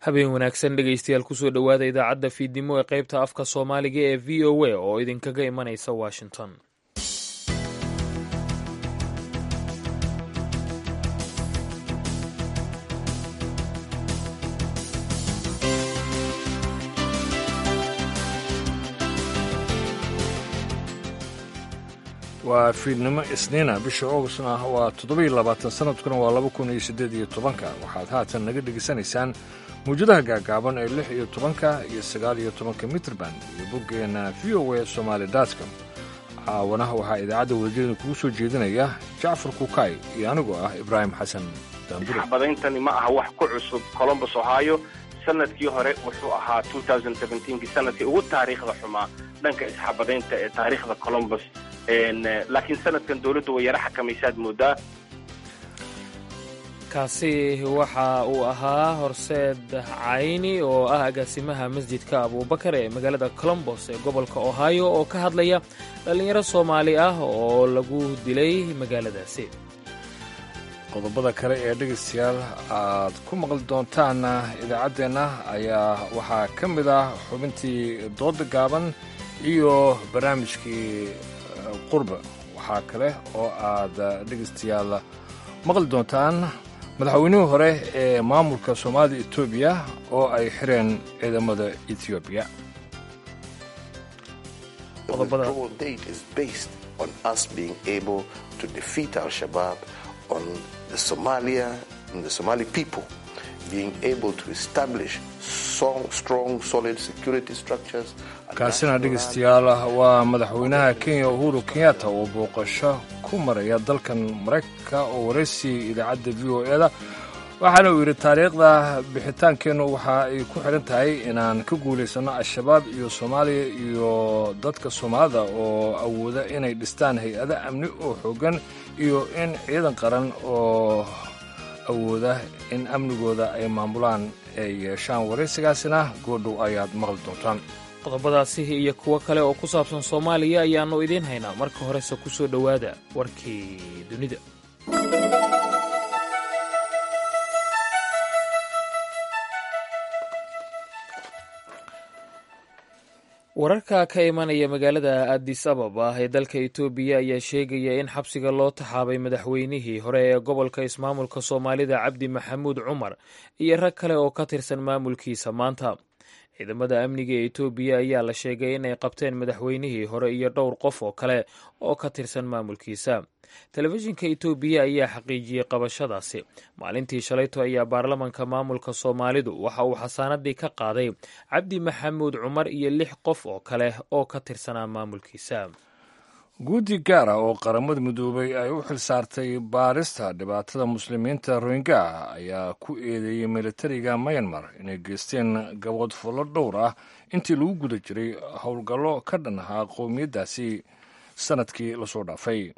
Habeen wanaagsan dhegaystayaal, kusoo dhowaada idaacadda fiidnimo ee qaybta afka Soomaaliga ee VOA oo idinkaga imanaysa Washington. Waa fiidnimo Isniina, bisha Augustna waa 27, sanadkuna waa 2018-ka. Waxaad haatan naga dhegaysanaysaan mawjadaha gaagaaban ee 16-ka iyo 19-ka mitrban iyo boggeenna VOA Somaali dotcom. Caawanaha waxaa idaacadda wadajirada kugu soo jeedinaya Jacfar Kukaay iyo anigoo ah Ibraahim Xasan Daandure. Xabadayntani ma aha wax ku cusub Columbus, Ohio. Sanadkii hore wuxuu ahaa kii sanadkii ugu taariikhda xumaa dhanka isxabadaynta ee taariikhda Columbus, laakiin sanadkan dowladdu way yara xakamaysaad moodaa. Kaasi waxa uu ahaa Horseed Cayni oo ah agaasimaha masjidka Abuubakar ee magaalada Colombos ee gobolka Ohio oo ka hadlaya dhallinyaro Soomaali ah oo lagu dilay magaaladaasi. Qodobada kale ee dhegaystayaal aad ku maqli doontaana idaacaddeenna ayaa waxaa ka mid ah xubintii dooda gaaban iyo barnaamijkii qurba. Waxaa kale oo aad dhegaystayaal maqli doontaan madaxweynihii hore ee maamulka Soomaalida Etoobiya oo ay xireen ciidamada Etoobiya. Kaasina dhegaystayaal waa madaxweynaha Kenya Uhuru Kenyatta oo booqasho ku maraya dalkan Maraykanka oo waraysiiyey idaacadda VOA-da, waxaana uu yidhi: "Taariikhda bixitaankeennu waxa ay ku xidhan tahay inaan ka guulaysanno Al-Shabaab iyo Soomaaliya iyo dadka Soomaalida oo awooda inay dhistaan hay-ado amni oo xooggan iyo in ciidan qaran oo awooda in amnigooda ay maamulaan ay yeeshaan." Waraysigaasina goodhow ayaad maqli doontaan. Qodobadaasi iyo kuwo kale oo ku saabsan Soomaaliya ayaannu idiin haynaa. Marka horese ku soo dhowaada warkii dunida. Wararka ka imanaya magaalada Addis Ababa ee dalka Itoobiya ayaa sheegaya in xabsiga loo taxaabay madaxweynihii hore ee gobolka ismaamulka Soomaalida Cabdi Maxamuud Cumar iyo rag kale oo ka tirsan maamulkiisa maanta. Ciidamada amniga ee Itoobiya ayaa la sheegay inay qabteen madaxweynihii hore iyo dhowr qof oo kale oo ka tirsan maamulkiisa. Telefishinka Itoobiya ayaa xaqiijiyey qabashadaasi. Maalintii shalayto ayaa baarlamanka maamulka Soomaalidu waxa uu xasaanadii ka qaaday Cabdi Maxamuud Cumar iyo lix qof oo kale oo ka tirsanaa maamulkiisa. Guddi gaar ah oo Qaramada Midoobay ay u xil saartay baarista dhibaatada muslimiinta Rohingya ayaa ku eedeeyey militariga Myanmar inay geysteen gabood fullo dhowr ah intii lagu guda jiray howlgallo ka dhan ahaa qowmiyaddaasi sannadkii lasoo dhaafay.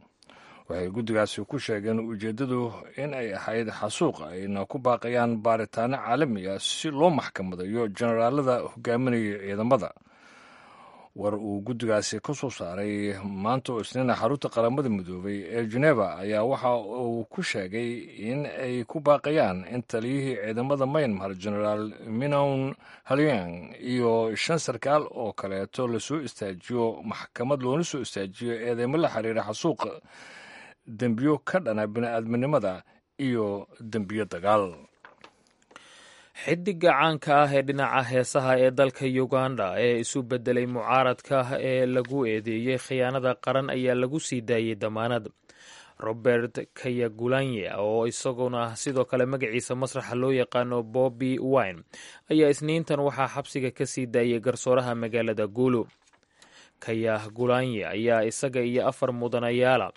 Waxay guddigaasi ku sheegeen ujeeddadu in ay ahayd xasuuq, ayna ku baaqayaan baaritaano caalami ah si loo maxkamadayo generaalada hogaaminaya ciidamada. War uu guddigaasi ka soo saaray maanta oo Isniina xarunta Qaramada Midoobay ee Geneva ayaa waxa uu ku sheegay in ay ku baaqayaan in taliyihii ciidamada Myanmar, Generaal Minown Haliang, iyo shan sarkaal oo kaleeto lasoo istaajiyo maxkamad, loona soo istaajiyo eedeymo la xiriira xasuuqa, dembiyo ka dhana bini-aadminimada iyo dembiyo dagaal. Xidiga caanka ah ee dhinaca heesaha ee dalka Uganda ee isu beddelay mucaaradka ee lagu eedeeyey khiyaanada qaran ayaa lagu sii daayey damaanad. Robert Kayagulanye, oo isaguna sidoo kale magaciisa masraxa loo yaqaano Bobby Wine, ayaa Isniintan waxaa xabsiga ka sii daayey garsooraha magaalada Gulu. Kayagulanye ayaa isaga iyo afar mudanayaala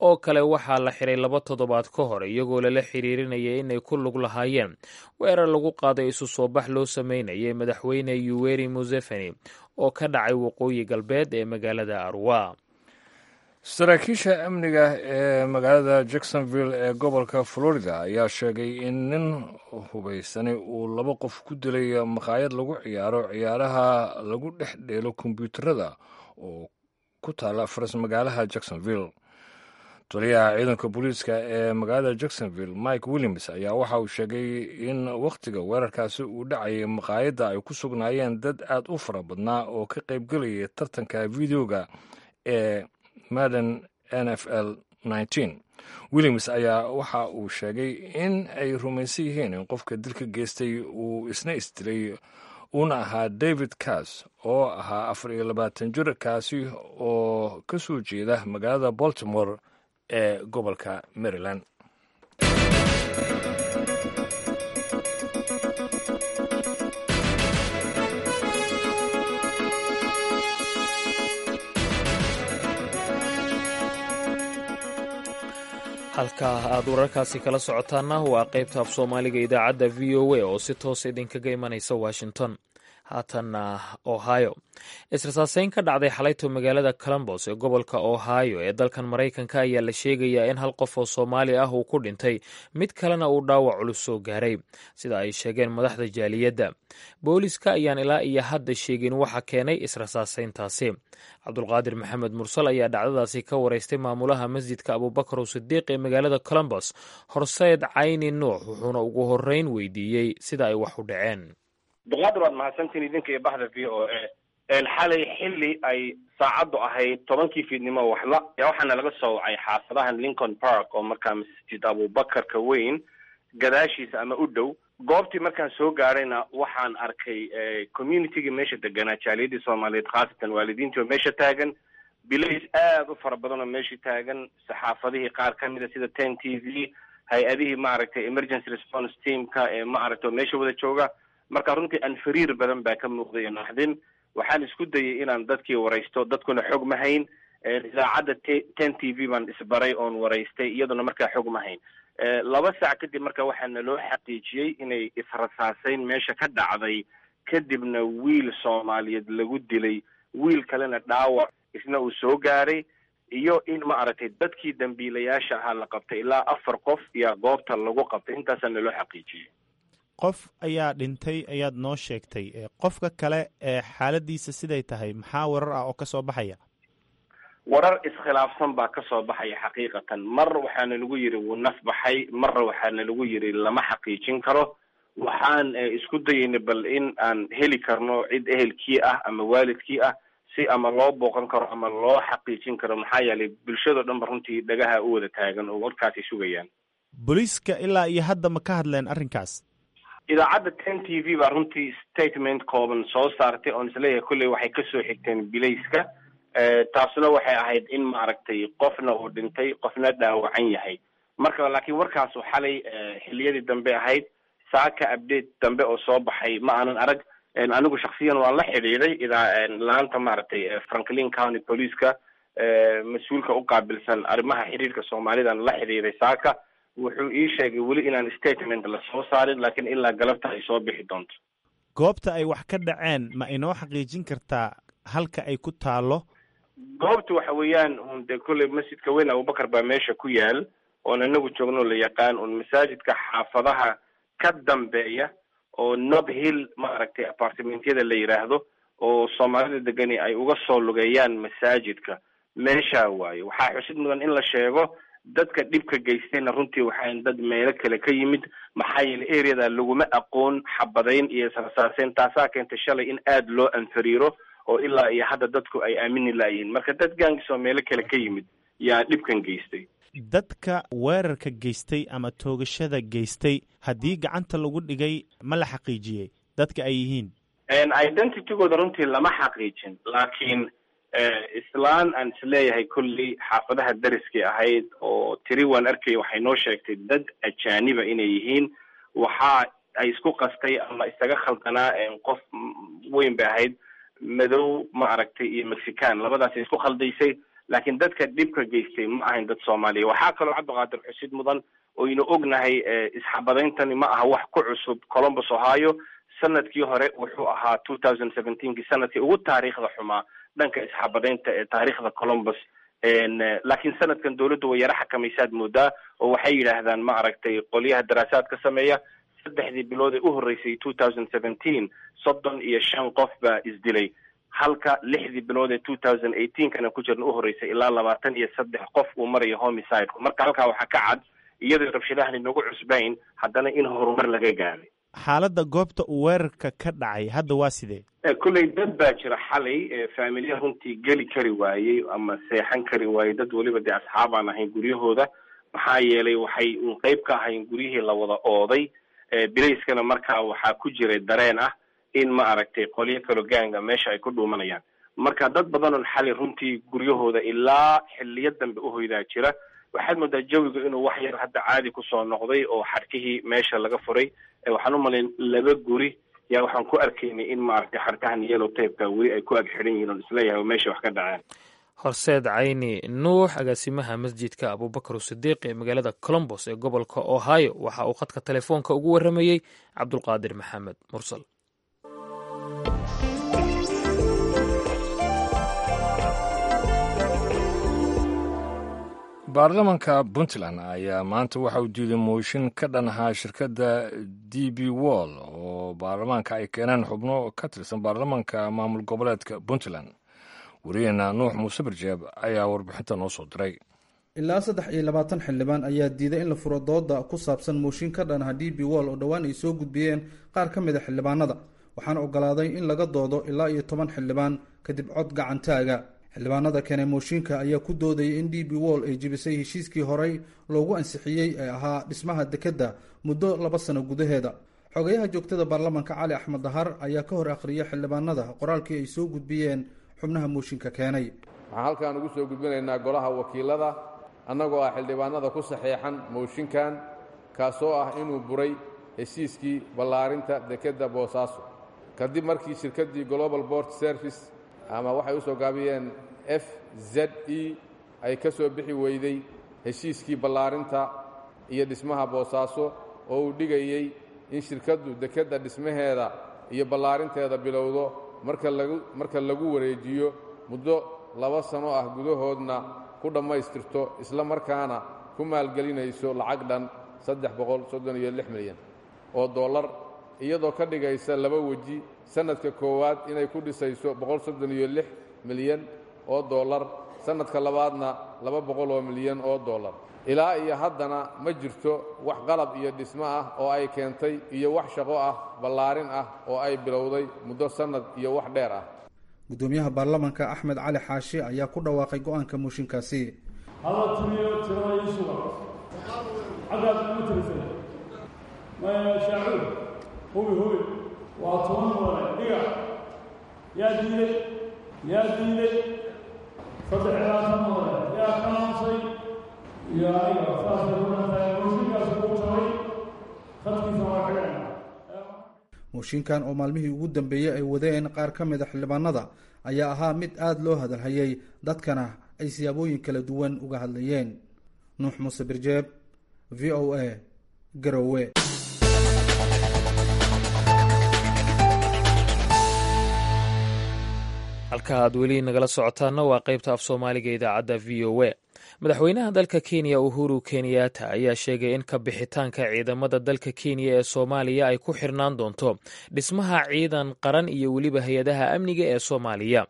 oo kale waxaa la xiray 2 toddobaad ka hor, iyagoo lala xiriirinayay inay ku lug lahaayeen weerar lagu qaaday isu soo bax loo sameynayay madaxweyne Yuweri Museveni oo ka dhacay waqooyi galbeed ee magaalada Arwa. Saraakiisha amniga ee magaalada Jacksonville ee gobolka Florida ayaa sheegay in nin hubaysanay uu laba qof ku dilay maqaayad lagu ciyaaro ciyaaraha lagu dhex dheelo kombyuutarada oo ku taala faras magaalaha Jacksonville. Taliyaha ciidanka booliiska ee magaalada Jacksonville, Mike Williams, ayaa waxa uu sheegay in wakhtiga weerarkaasi uu dhacayay maqaayadda ay ku sugnaayeen dad aad u fara badnaa oo ka qaybgelayay tartanka videoga ee Madden NFL. Williams ayaa waxa uu sheegay in ay rumaysan yihiin in qofka dilka geystay uu isna isdilay, uuna ahaa David Cass oo ahaa 24 jir, kaasi oo ka soo jeeda magaalada Baltimore ee gobolka Maryland. Halka aad wararkaasi kala socotaana waa qaybta af Soomaaliga idaacadda VOA oo si toos idinkaga imanaysa Washington. Haatanna Ohio. Israsaaseyn ka dhacday xalayto magaalada Columbus ee gobolka Ohio ee dalkan Maraykanka ayaa la sheegayaa in hal qof oo Soomaali ah uu ku dhintay, mid kalena uu dhaawac culus soo gaaray, sida ay sheegeen madaxda jaaliyadda. Booliska ayaan ilaa iyo hadda sheegin waxa keenay israsaaseyntaasi. Cabdulqaadir Maxamed Mursal ayaa dhacdadaasi ka wareystay maamulaha masjidka Abuubakar Sidiiq ee magaalada Columbus, Horseed Cayni Nuux, wuxuuna ugu horreyn weydiiyey sida ay wax u dhaceen. Abduqaadir, waad mahadsantiin idinka iyo baxda VOA. Xalay xilli ay saacaddu ahayd 10-kii fiidnimo waxla ayaa waxaana laga soo wacay xaafadahan Lincoln Park oo markaa Masjid Abuubakarka weyn gadaashiisa ama u dhow. Goobtii markaan soo gaarayna waxaan arkay communitygii meesha deganaa, jaaliyadii Soomaaliyeed, khaasatan waalidiintii oo meesha taagan, bilays aada u fara badan oo meeshii taagan, saxaafadihii qaar ka mida sida 10 TV, hay-adihii maaragtay emergency response teamka ee maaragtay oo meesha wada jooga. Marka runtii anfariir badan baa ka muuqday iyo naxdin. Waxaan isku dayay inaan dadkii waraysto, dadkuna xog ma hayn. Idaacadda 10 TV baan isbaray oon waraystay, iyaduna markaa xog ma hayn. 2 saac kadib marka waxaana loo xaqiijiyey inay israsaaseyn meesha ka dhacday, kadibna wiil Soomaaliyeed lagu dilay, wiil kalena dhaawac isna uu soo gaaray, iyo in ma aragtay dadkii dambiilayaasha ahaa la qabtay. Ilaa afar qof iyo goobta lagu qabtay. Intaasaa naloo xaqiijiyey. Qof ayaa dhintay ayaad noo sheegtay. Qofka kale ee xaaladiisa siday tahay, maxaa warar ah oo ka soo baxaya? Warar iskhilaafsan baa ka soo baxaya xaqiiqatan. Mar waxaana lagu yidhi wuu naf baxay, marna waxaana lagu yidhi lama xaqiijin karo. Waxaan isku dayaynay bal in aan heli karno cid ehelkii ah ama waalidkii ah, si ama loo booqan karo ama loo xaqiijin karo, maxaa yeelay bulshado dhan ba runtii dhagaha u wada taagan oo warkaasay sugayaan. Booliiska ilaa iyo hadda ma ka hadleen arrinkaas? Idaacadda 10 TV baa runtii statement kooban soo saartay oon isleeyahay kolley waxay kasoo xigteen bilayska. Taasuna waxay ahayd in maaragtay qofna uu dhintay, qofna dhaawacan yahay. Marka laakiin warkaasu xalay xilliyadii dambe ahayd. Saaka update dambe oo soo baxay ma aanan arag. Anigu shaksiyan waan la xidhiiday idaa laanta maaragtay Franklin County Boliceka, mas-uulka u qaabilsan arrimaha xiriirka Soomaalidan la xidhiiday saaka. Wuxuu ii sheegay weli inaan statement la soo saarin, laakiin ilaa galabta ay soo bixi doonto. Goobta ay wax ka dhaceen ma inoo xaqiijin kartaa halka ay ku taalo? Goobta waxa weeyaan un dee kolley masjidka weyn Abubakar baa meesha ku yaal oon inagu joogno la yaqaan, un masaajidka xaafadaha ka dambeeya oo Nob Hill maaragtay apartmentyada la yidhaahdo oo Soomaalida degani ay uga soo lugeeyaan masaajidka, meeshaa waaye. Waxaa xusid mudan in la sheego dadka dhibka geystayna runtii waxaan dad meelo kale ka yimid, maxaa yeelay areada laguma aqoon xabadayn iyo israsaaseyn. Taasaa keentay shalay in aada loo anfariiro oo ilaa iyo hadda dadku ay aamini laayihiin. Marka dad gaangis oo meelo kale ka yimid yaa dhibkan geystay. Dadka weerarka geystay ama toogashada geystay haddii gacanta lagu dhigay, ma la xaqiijiyey dadka ay yihiin? Identitygooda runtii lama xaqiijin, laakiin islaan aan isleeyahay kolley xaafadaha dariskay ahayd oo tiri waan arkay waxay noo sheegtay dad ajaaniba inay yihiin. Waxa ay isku qastay ama isaga khaldanaa qof weyn bay ahayd, madow ma aragtay iyo Mexican, labadaasay isku khaldaysay. Laakiin dadka dhibka geystay ma ahayn dad Soomaaliya. Waxaa kaloo, Cabdiqaadir, xusid mudan oynu ognahay isxabadayntani ma aha wax ku cusub Columbus, Ohio. Sanadkii hore wuxuu ahaa 2017-kii sanadkii ugu taariikhda xumaa dhanka isxabadaynta ee taariikhda Columbus. Laakiin sanadkan dawladdu way yaro xakamaysaad moodaa, oo waxay yidhaahdaan ma aragtay qolyaha daraasaad ka sameeya saddexdii bilood ee u horreysay 2017 35 qof baa isdilay. Halka 6dii bilood ee 2018-kana ku jirna u horreysay ilaa 23 qof uu marayo homicide-ku. Marka halkaa waxaa ka cad, iyadoo rabshadahan inagu cusbayn, haddana in horumar laga gaaray. Xaaladda goobta uu weerarka ka dhacay hadda waa sidee? Kolley dad baa jira xalay faamilya runtii geli kari waayey ama seexan kari waayey, dad weliba dee asxaab aan ahayn guryahooda, maxaa yeelay waxay uun qeyb ka ahayn guryihii la wada ooday. Bilayskana markaa waxaa ku jiray dareen ah in ma aragtay qolyo kalo gaanga meesha ay ku dhuumanayaan. Marka dad badan oon xalay runtii guryahooda ilaa xiliyo dambe uhoydaa jira. Waxaad moodaa jawiga inuu wax yar hadda caadi kusoo noqday oo xadhkihii meesha laga furay. Waxaan u malayn laba guri yaa waxaan ku arkaynay in maaragtay xadhkahan yellow tapeka weli ay ku ag xidhan yihiin, oon isleeyahay oo meesha wax ka dhaceen. Horseed Cayni Nuux, agaasimaha masjidka Abubakar Sidiiq ee magaalada Colombos ee gobolka Ohio, waxa uu khadka telefoonka ugu warramayey Cabdulqaadir Maxamed Mursal. Baarlamanka Puntland ayaa maanta waxa uu diiday mooshin ka dhan ahaa shirkadda DP World oo baarlamaanka ay keeneen xubno ka tirsan baarlamanka maamul goboleedka Puntland. Wariyaheena Nuux Muuse Barjeeb ayaa warbixinta noo soo diray. Ilaa 23 xildhibaan ayaa diiday in la furo dooda ku saabsan mooshin ka dhan ah DP World oo dhowaan ay soo gudbiyeen qaar ka mid a xildhibaanada, waxaana ogolaaday in laga doodo ilaa iyo 10 xildhibaan kadib cod gacantaaga. Xildhibaanada keenay mooshinka ayaa ku doodayay in DP World ay jebisay heshiiskii horey loogu ansixiyey ee ahaa dhismaha dekedda muddo 2 sano gudaheeda. Xogayaha joogtada baarlamanka Cali Axmed Dahar ayaa ka hor akhriyay xildhibaanada qoraalkii ay soo gudbiyeen xubnaha mooshinka keenay. Waxaan halkan ugu soo gudbinaynaa golaha wakiilada, annagoo ah xildhibaanada ku saxeexan mooshinkan, kaasoo ah inuu buray heshiiskii ballaarinta dekedda Boosaaso kadib markii shirkaddii Global Port Service, ama waxay u soo gaabiyeen FZE, ay ka soo bixi weyday heshiiskii ballaarinta iyo dhismaha Boosaaso oo uu dhigayey in shirkaddu dekedda dhismaheeda iyo ballaarinteeda bilowdo marka lagu wareejiyo, muddo 2 sano ah gudahoodna ku dhammaystirto, isla markaana ku maalgelinayso lacag dhan 336 milyan oo dollar, iyadoo ka dhigaysa laba weji: sannadka koowaad inay ku dhisayso 136 milyan oo dollar, sannadka labaadna 200 oo milyan oo dollar. Ilaa iyo haddana ma jirto wax qalab iyo dhismo ah oo ay keentay iyo wax shaqo ah ballaarin ah oo ay bilowday muddo sannad iyo wax dheer ah. Gudoomiyaha baarlamanka Axmed Cali Xaashi ayaa ku dhawaaqay go-aanka mooshinkaasi. Hala tiriyo tirada ii suga. Xaggaad uma tirisay maya? Shaacuur, hubi, hubi, waa 10 mudane. Dhiga. Yaa diiday? Yaa diiday? 23 mudane. Yaa ka aamusay? Iyo aniga. Saasay ku dhantahay. Mooshinkaasi kuu jabay, khadkiisa waa xidhayna. Mooshinkan oo maalmihii ugu dambeeyey ay wadeen qaar ka mid a xildhibaanada ayaa ahaa mid aada loo hadalhayay, dadkana ay siyaabooyin kala duwan uga hadlayeen. Nuux Muuse Birjeeb, VOA, Garowe. Halka aad weli nagala socotaana waa qaybta af Soomaaliga idaacadda VOA. Madaxweynaha dalka Kenya Uhuru Kenyatta ayaa sheegay in ka bixitaanka ciidamada dalka Kenya ee Soomaaliya ay ku xirnaan doonto dhismaha ciidan qaran iyo weliba hay-adaha amniga ee Soomaaliya.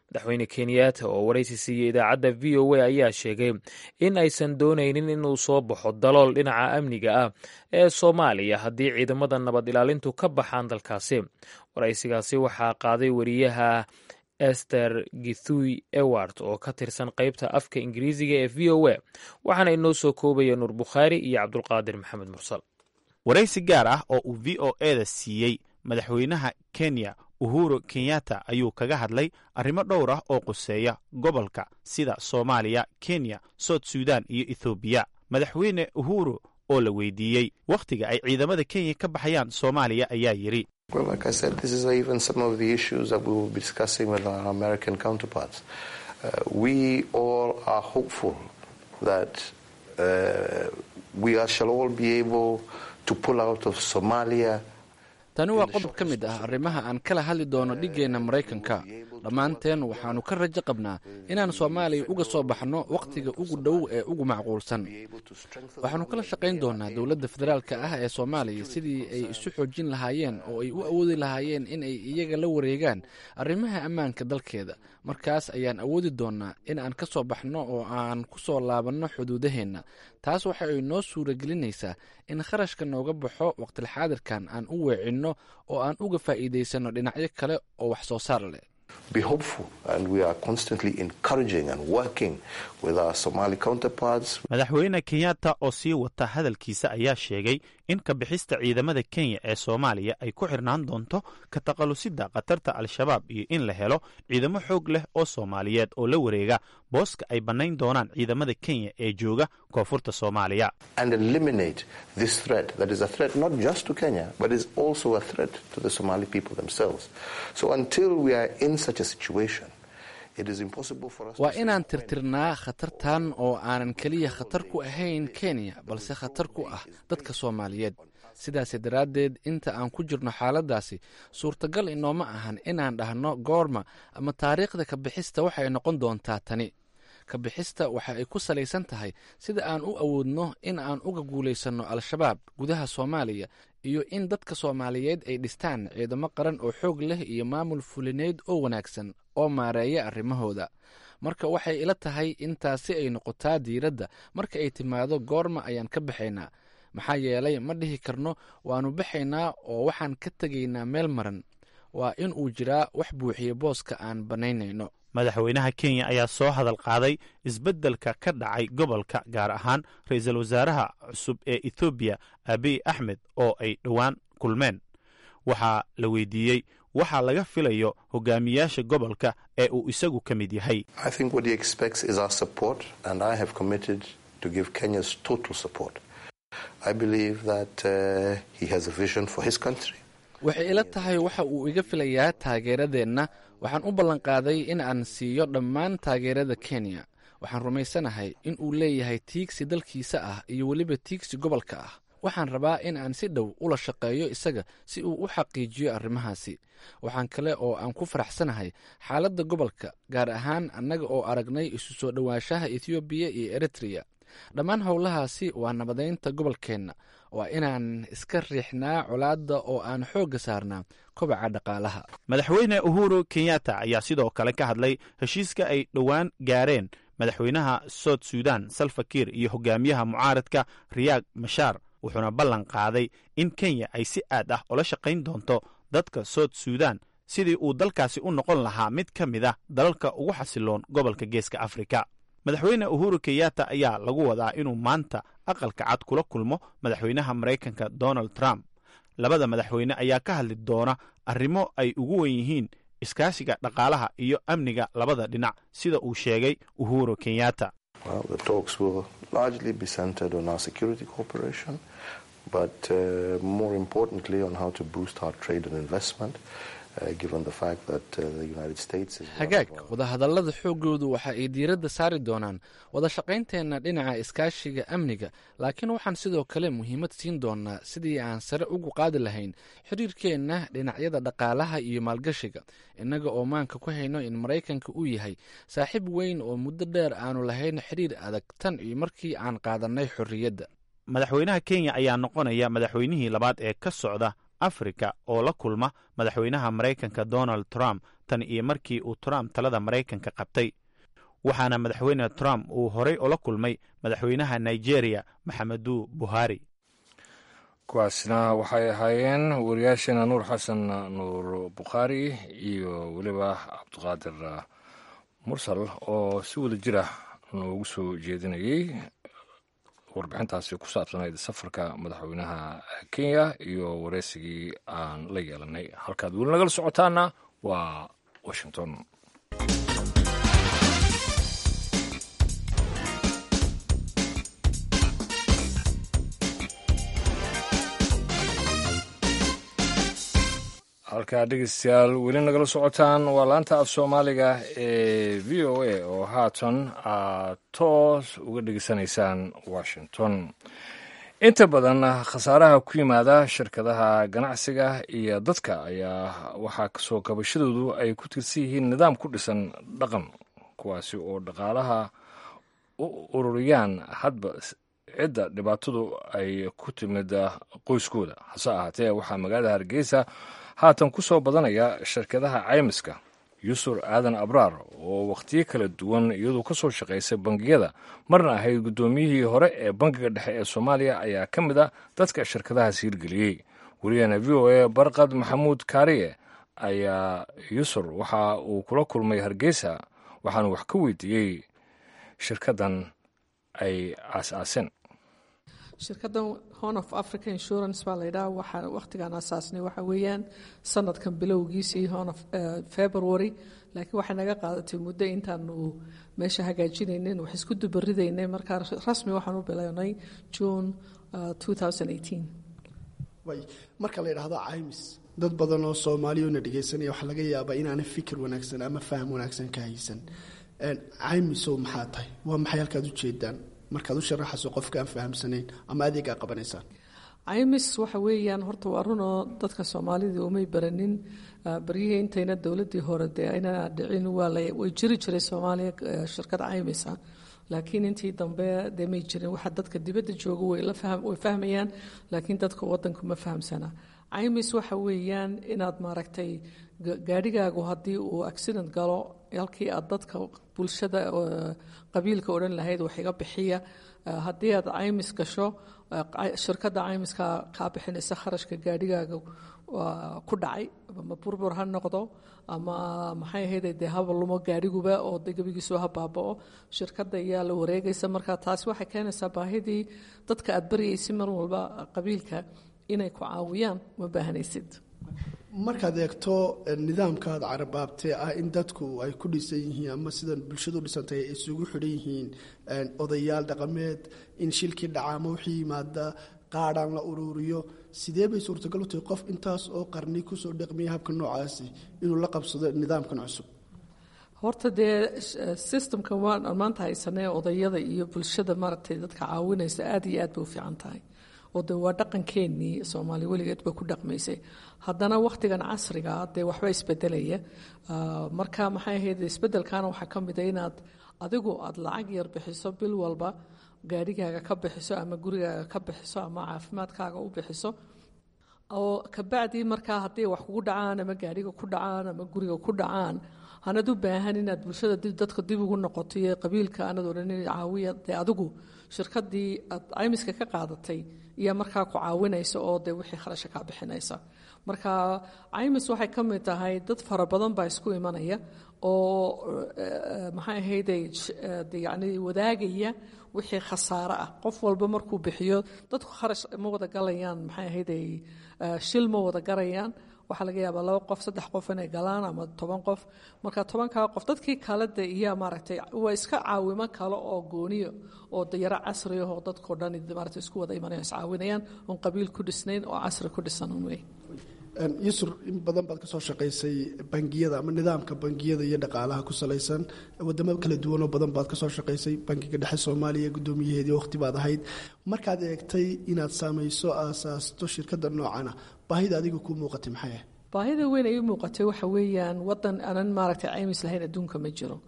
Madaxweyne Kenyatta oo waraysi siiyey idaacadda VOA ayaa sheegay in aysan doonaynin inuu soo baxo dalool dhinaca amniga ah ee Soomaaliya haddii ciidamada nabad ilaalintu ka baxaan dalkaasi. Waraysigaasi waxaa qaaday wariyaha Esther Githui Ewart oo ka tirsan qaybta afka Ingiriisiga ee VOA, waxaana inoo soo koobaya Nuur Bukhaari iyo Cabdulqaadir Maxamed Mursal. Waraysi gaar ah oo uu VOA-da siiyey madaxweynaha Kenya Uhuru Kenyatta ayuu kaga hadlay arrimo dhowr ah oo quseeya gobolka, sida Soomaaliya, Kenya, South Sudan iyo Ethoobiya. Madaxweyne Uhuru oo la weydiiyey wakhtiga ay ciidamada Kenya ka baxayaan Soomaaliya ayaa yidhi: Well, like I said, this is even some of the issues that we will be discussing with our American counterparts. We all are hopeful that we shall all be able to pull out of Somalia. Tani waa qodob ka mid ah arrimaha aan kala hadli doono dhiggeenna Maraykanka. Dhammaanteen waxaannu ka rajo qabnaa inaan Soomaaliya uga soo baxno wakhtiga ugu dhow ee ugu macquulsan. Waxaannu kala shaqayn doonaa dowladda federaalka ah ee Soomaaliya sidii ay isu xoojin lahaayeen oo ay u awoodi lahaayeen in ay iyaga la wareegaan arrimaha ammaanka dalkeeda. Markaas ayaan awoodi doonaa in aan ka soo baxno oo aan ku soo laabanno xuduudaheenna. Taas waxa ay noo suuragelinaysaa in kharashka nooga baxo waqtilxaadirkan aan u weecinno oo aan uga faa'iidaysanno dhinacyo kale oo wax soo saar leh. Be hopeful, and we are constantly encouraging and working with our Somali counterparts. Madaxweyne Kenyatta oo sii wata hadalkiisa ayaa sheegay in ka bixista ciidamada Kenya ee Soomaaliya ay ku xirnaan doonto ka takhalusidda khatarta Al-Shabaab iyo in la helo ciidamo xoog leh oo Soomaaliyeed oo la wareega booska ay bannayn doonaan ciidamada Kenya ee jooga koonfurta Soomaaliya. And eliminate this threat that is a threat not just to Kenya, but is also a threat to the Somali people themselves. So until we are in such a situation, it is impossible for us Waa to say inaan tirtirnaa khatartan oo aanan keliya khatar ku ahayn Kenya, balse khatar ku ah dadka Soomaaliyeed. Sidaasi daraaddeed, inta aan ku jirno xaaladdaasi, suurtagal inooma ahan inaan dhahno goorma ama taariikhda ka bixista waxay noqon doontaa tani. Ka bixista waxa ay ku salaysan tahay sida aan u awoodno in aan uga guulaysanno Al-Shabaab gudaha Soomaaliya iyo in dadka Soomaaliyeed ay dhistaan ciidamo qaran oo xoog leh iyo maamul fulineed oo wanaagsan oo maareeya arrimahooda. Marka waxay ila tahay in taasi ay noqotaa diiradda marka ay timaado goorma ayaan ka baxaynaa, maxaa yeelay ma dhihi karno waannu baxaynaa oo waxaan ka tegaynaa meel maran. Waa in uu jiraa wax buuxiya booska aan bannaynayno. Madaxweynaha Kenya ayaa soo hadal qaaday isbeddelka ka dhacay gobolka, gaar ahaan ra-iisul wasaaraha cusub ee Ethoobiya Abiy Axmed oo ay dhowaan kulmeen. Waxaa la weydiiyey waxaa laga filayo hogaamiyaasha gobolka ee uu isagu ka mid yahay. I think what he expects is our support, and I have committed to give Kenya's total support. I believe that he has a vision for his country. Waxay ila tahay waxa uu iga filayaa taageeradeenna. Waxaan u ballanqaaday in aan siiyo dhammaan taageerada Kenya. Waxaan rumaysanahay in uu leeyahay tiigsi dalkiisa ah iyo weliba tiigsi gobolka ah. Waxaan rabaa in aan si dhow ula shaqeeyo isaga si uu u xaqiijiyo arrimahaasi. Waxaan kale oo aan ku faraxsanahay xaaladda gobolka, gaar ahaan annaga oo aragnay isu soo dhowaanshaha Ethoobiya iyo Eritreya. Dhammaan howlahaasi waa nabadaynta gobolkeenna. Waa inaan iska riixnaa colaadda oo aan xoogga saarnaa kobaca dhaqaalaha. Madaxweyne Uhuru Kenyatta ayaa sidoo kale ka hadlay heshiiska ay dhowaan gaareen madaxweynaha South Sudan Salva Kiir iyo hogaamiyaha mucaaradka Riyaag Mashaar, wuxuuna ballan qaaday in Kenya ay si aad ah ula shaqayn doonto dadka South Sudan sidii uu dalkaasi u noqon lahaa mid ka mid ah dalalka ugu xasiloon gobolka Geeska Afrika. Madaxweyne Uhuru Kenyatta ayaa lagu wadaa inuu maanta Aqalka Cad kula kulmo madaxweynaha Maraykanka Donald Trump. Labada madaxweyne ayaa ka hadli doona arrimo ay ugu wen yihiin iskaashiga dhaqaalaha iyo amniga labada dhinac, sida uu sheegay Uhuru Kenyatta. Well, the talks will largely be centered on our security cooperation, but more importantly on how to boost our trade and investment, given the fact that the United States is one Hagaag, of our wadahadallada xooggoodu waxa ay diiradda saari doonaan wada shaqaynteenna dhinaca iskaashiga amniga, laakiin waxaan sidoo kale muhiimad siin doonaa sidii aan sare ugu qaadi lahayn xiriirkeenna dhinacyada dhaqaalaha iyo maalgashiga, innaga oo maanka ku hayno in Maraykanka uu yahay saaxiib weyn oo muddo dheer aanu lahayn xiriir adag tan iyo markii aan qaadannay xorriyadda. Madaxweynaha Kenya ayaa noqonaya madaxweynihii labaad ee ka socda Afrika oo la kulma madaxweynaha Maraykanka Donald Trump tan iyo markii uu Trump talada Maraykanka qabtay, waxaana madaxweyne Trump uu horey ula kulmay madaxweynaha Nigeria Maxamedu Buhari. Kuwaasna waxay ahaayeen wariyaasheena Nuur Xasan Nuur Bukhaari iyo weliba Cabdiqaadir Mursal oo si wada jir ah noogu soo jeedinayey warbixintaasi ku saabsanayd safarka madaxweynaha Kenya iyo wareysigii aan la yeelanay. Halkaad weli nagala socotaana waa Washington. Halkaa dhegeystayaal weli nagala socotaan waa laanta af Soomaaliga ee VOA oo haatan aad toos uga dhegeysanaysaan Washington. Inta badan khasaaraha ku yimaada shirkadaha ganacsiga iyo dadka ayaa waxaa kasoo kabashadoodu ay ku tiirsan yihiin nidaam ku dhisan dhaqan, kuwaasi oo dhaqaalaha u ururiyaan hadba cidda dhibaatadu ay ku timid qoyskooda. Hase ahaatee, waxaa magaalada Hargeysa haatan ku soo badanaya shirkadaha caymiska. Yusur Aadan Abraar, oo wakhtiyo kala duwan iyadoo ka soo shaqaysay bangiyada, marna ahayd guddoomiyihii hore ee Bangiga Dhexe ee Soomaaliya, ayaa ka mid a dadka shirkadahaas hirgeliyey. Wariyahena VOA Barqad Maxamuud Kaariye ayaa Yusur waxa uu kula kulmay Hargeysa, waxaanu wax ka weydiiyey shirkaddan ay aas-aaseen. Shirkaddan Horn of Africa Insurance baa la yidhaha. Waxaa wakhtigaan asaasnay waxa weeyaan sanadkan bilowgiisii, horn of February, laakiin waxay naga qaadatay muddo intaanu meesha hagaajinaynin, wax isku dubaridaynay. Markaa rasmi waxaan u bilownay June 2018. Way marka la yidhaahdo caymis, dad badan oo Soomaaliya na dhegeysanaya waxaa laga yaabaa inaanay fikir wanaagsan ama faham wanaagsan ka haysan. Caymisow maxaa tahay? Waa maxay halkaad ujeedaan markaad u sharaxayso qofka aan fahamsanayn ama adeegaa qabanaysaan? Caymis waxa weeyaan, horta waa runoo dadka Soomaalida umay baranin. Baryihii intayna dowladdii hore dee ayna dhicin waa la way jiri jiray Soomaaliya shirkad caymisa, laakiin intii dambe dee may jirin. Waxa dadka dibadda jooga way la fahm way fahmayaan, laakiin dadka waddanku ma fahamsana. Caymis waxa weeyaan inaad maaragtay gaadhigaagu haddii uu accident galo, halkii aad dadka bulshada qabiilka odhan lahayd wax iga bixiya, haddii aad caymis gasho, shirkadda caymiska kaa bixinaysa kharashka gaadhigaaga ku dhacay, ama burbur ha noqdo ama maxay ahayd dee haba lumo gaadhiguba oo de gebigiisu ha baaba'o, shirkadda ayaa la wareegaysa. Marka taasi waxay keenaysaa baahidii dadka aad baryaysa mar walba qabiilka inay ku caawiyaan ma baahanaysid. Markaad eegto nidaamkaad carabaabtee ah in dadku ay ku dhisan yihiin ama sidan bulshadu u dhisantahay ay isugu xidhan yihiin odayaal dhaqameed, in shilkii dhaca ama wixii yimaada qaadhaan la uruuriyo, sidee bay suurtagal u tahay qof intaas oo qarni kusoo dhaqmiya habka noocaasi inuu la qabsado nidaamkan cusub? Horta dee systemkan waan maanta haysanee odayada iyo bulshada maaragtay dadka caawinaysa aad iyo aad bay u fiican tahay, oo de waa dhaqankeenii, Soomaaliya weligeed ba ku dhaqmaysay. Haddana wakhtigan casriga dee waxba isbedelaya. Marka maxay ahayd, isbedelkaana waxaa ka mid a inaad adigu aada lacag yar bixiso bil walba, gaadhigaaga ka bixiso ama gurigaaga ka bixiso ama caafimaadkaaga u bixiso, oo kabacdii markaa haddii wax kugu dhacaan ama gaadhiga ku dhacaan ama guriga ku dhacaan, hanad u baahan inaad bulshada dadka dib ugu noqoto iyo qabiilka anad odhan caawiya. Dee adigu shirkadii aad caymiska ka qaadatay iyo markaa ku caawinaysa oo dee wixii kharasha kaa bixinaysa. Marka caymis waxay ka mid tahay dad fara badan baa isku imanaya oo maxay ahayde yacni wadaagaya wixii khasaare ah qof walba markuu bixiyo. Dadku kharash ma wada galayaan, maxay ahayde, shil ma wada garayaan. Waxaa laga yaabaa laba qof, saddex qof inay galaan ama 10 qof. Marka 10-kaa qof dadkii kale de iya maaragtay waa iska caawimo kale oo gooniyo oo dayaro casri ah oo dadkao dhan maaragtay isku wada imanayaan, iscaawinayaan, oon qabiil ku dhisnayn oo casri ku dhisan un wey. Yusur, in badan baad ka soo shaqaysay bangiyada ama nidaamka bangiyada iyo dhaqaalaha ku salaysan wadamo kala duwanoo badan baad ka soo shaqaysay. Bangiga Dhexe Soomaaliya guddoomiyaheedii waqti baad ahayd. Markaad eegtay inaad saamayso, aasaasto shirkadda noocana, baahida adiga kuu muuqatay maxay ahayd? Baahida weyn ay u muuqatay waxa weeyaan wadan aanan maaragtay caymis lahayn adduunka ma jiro.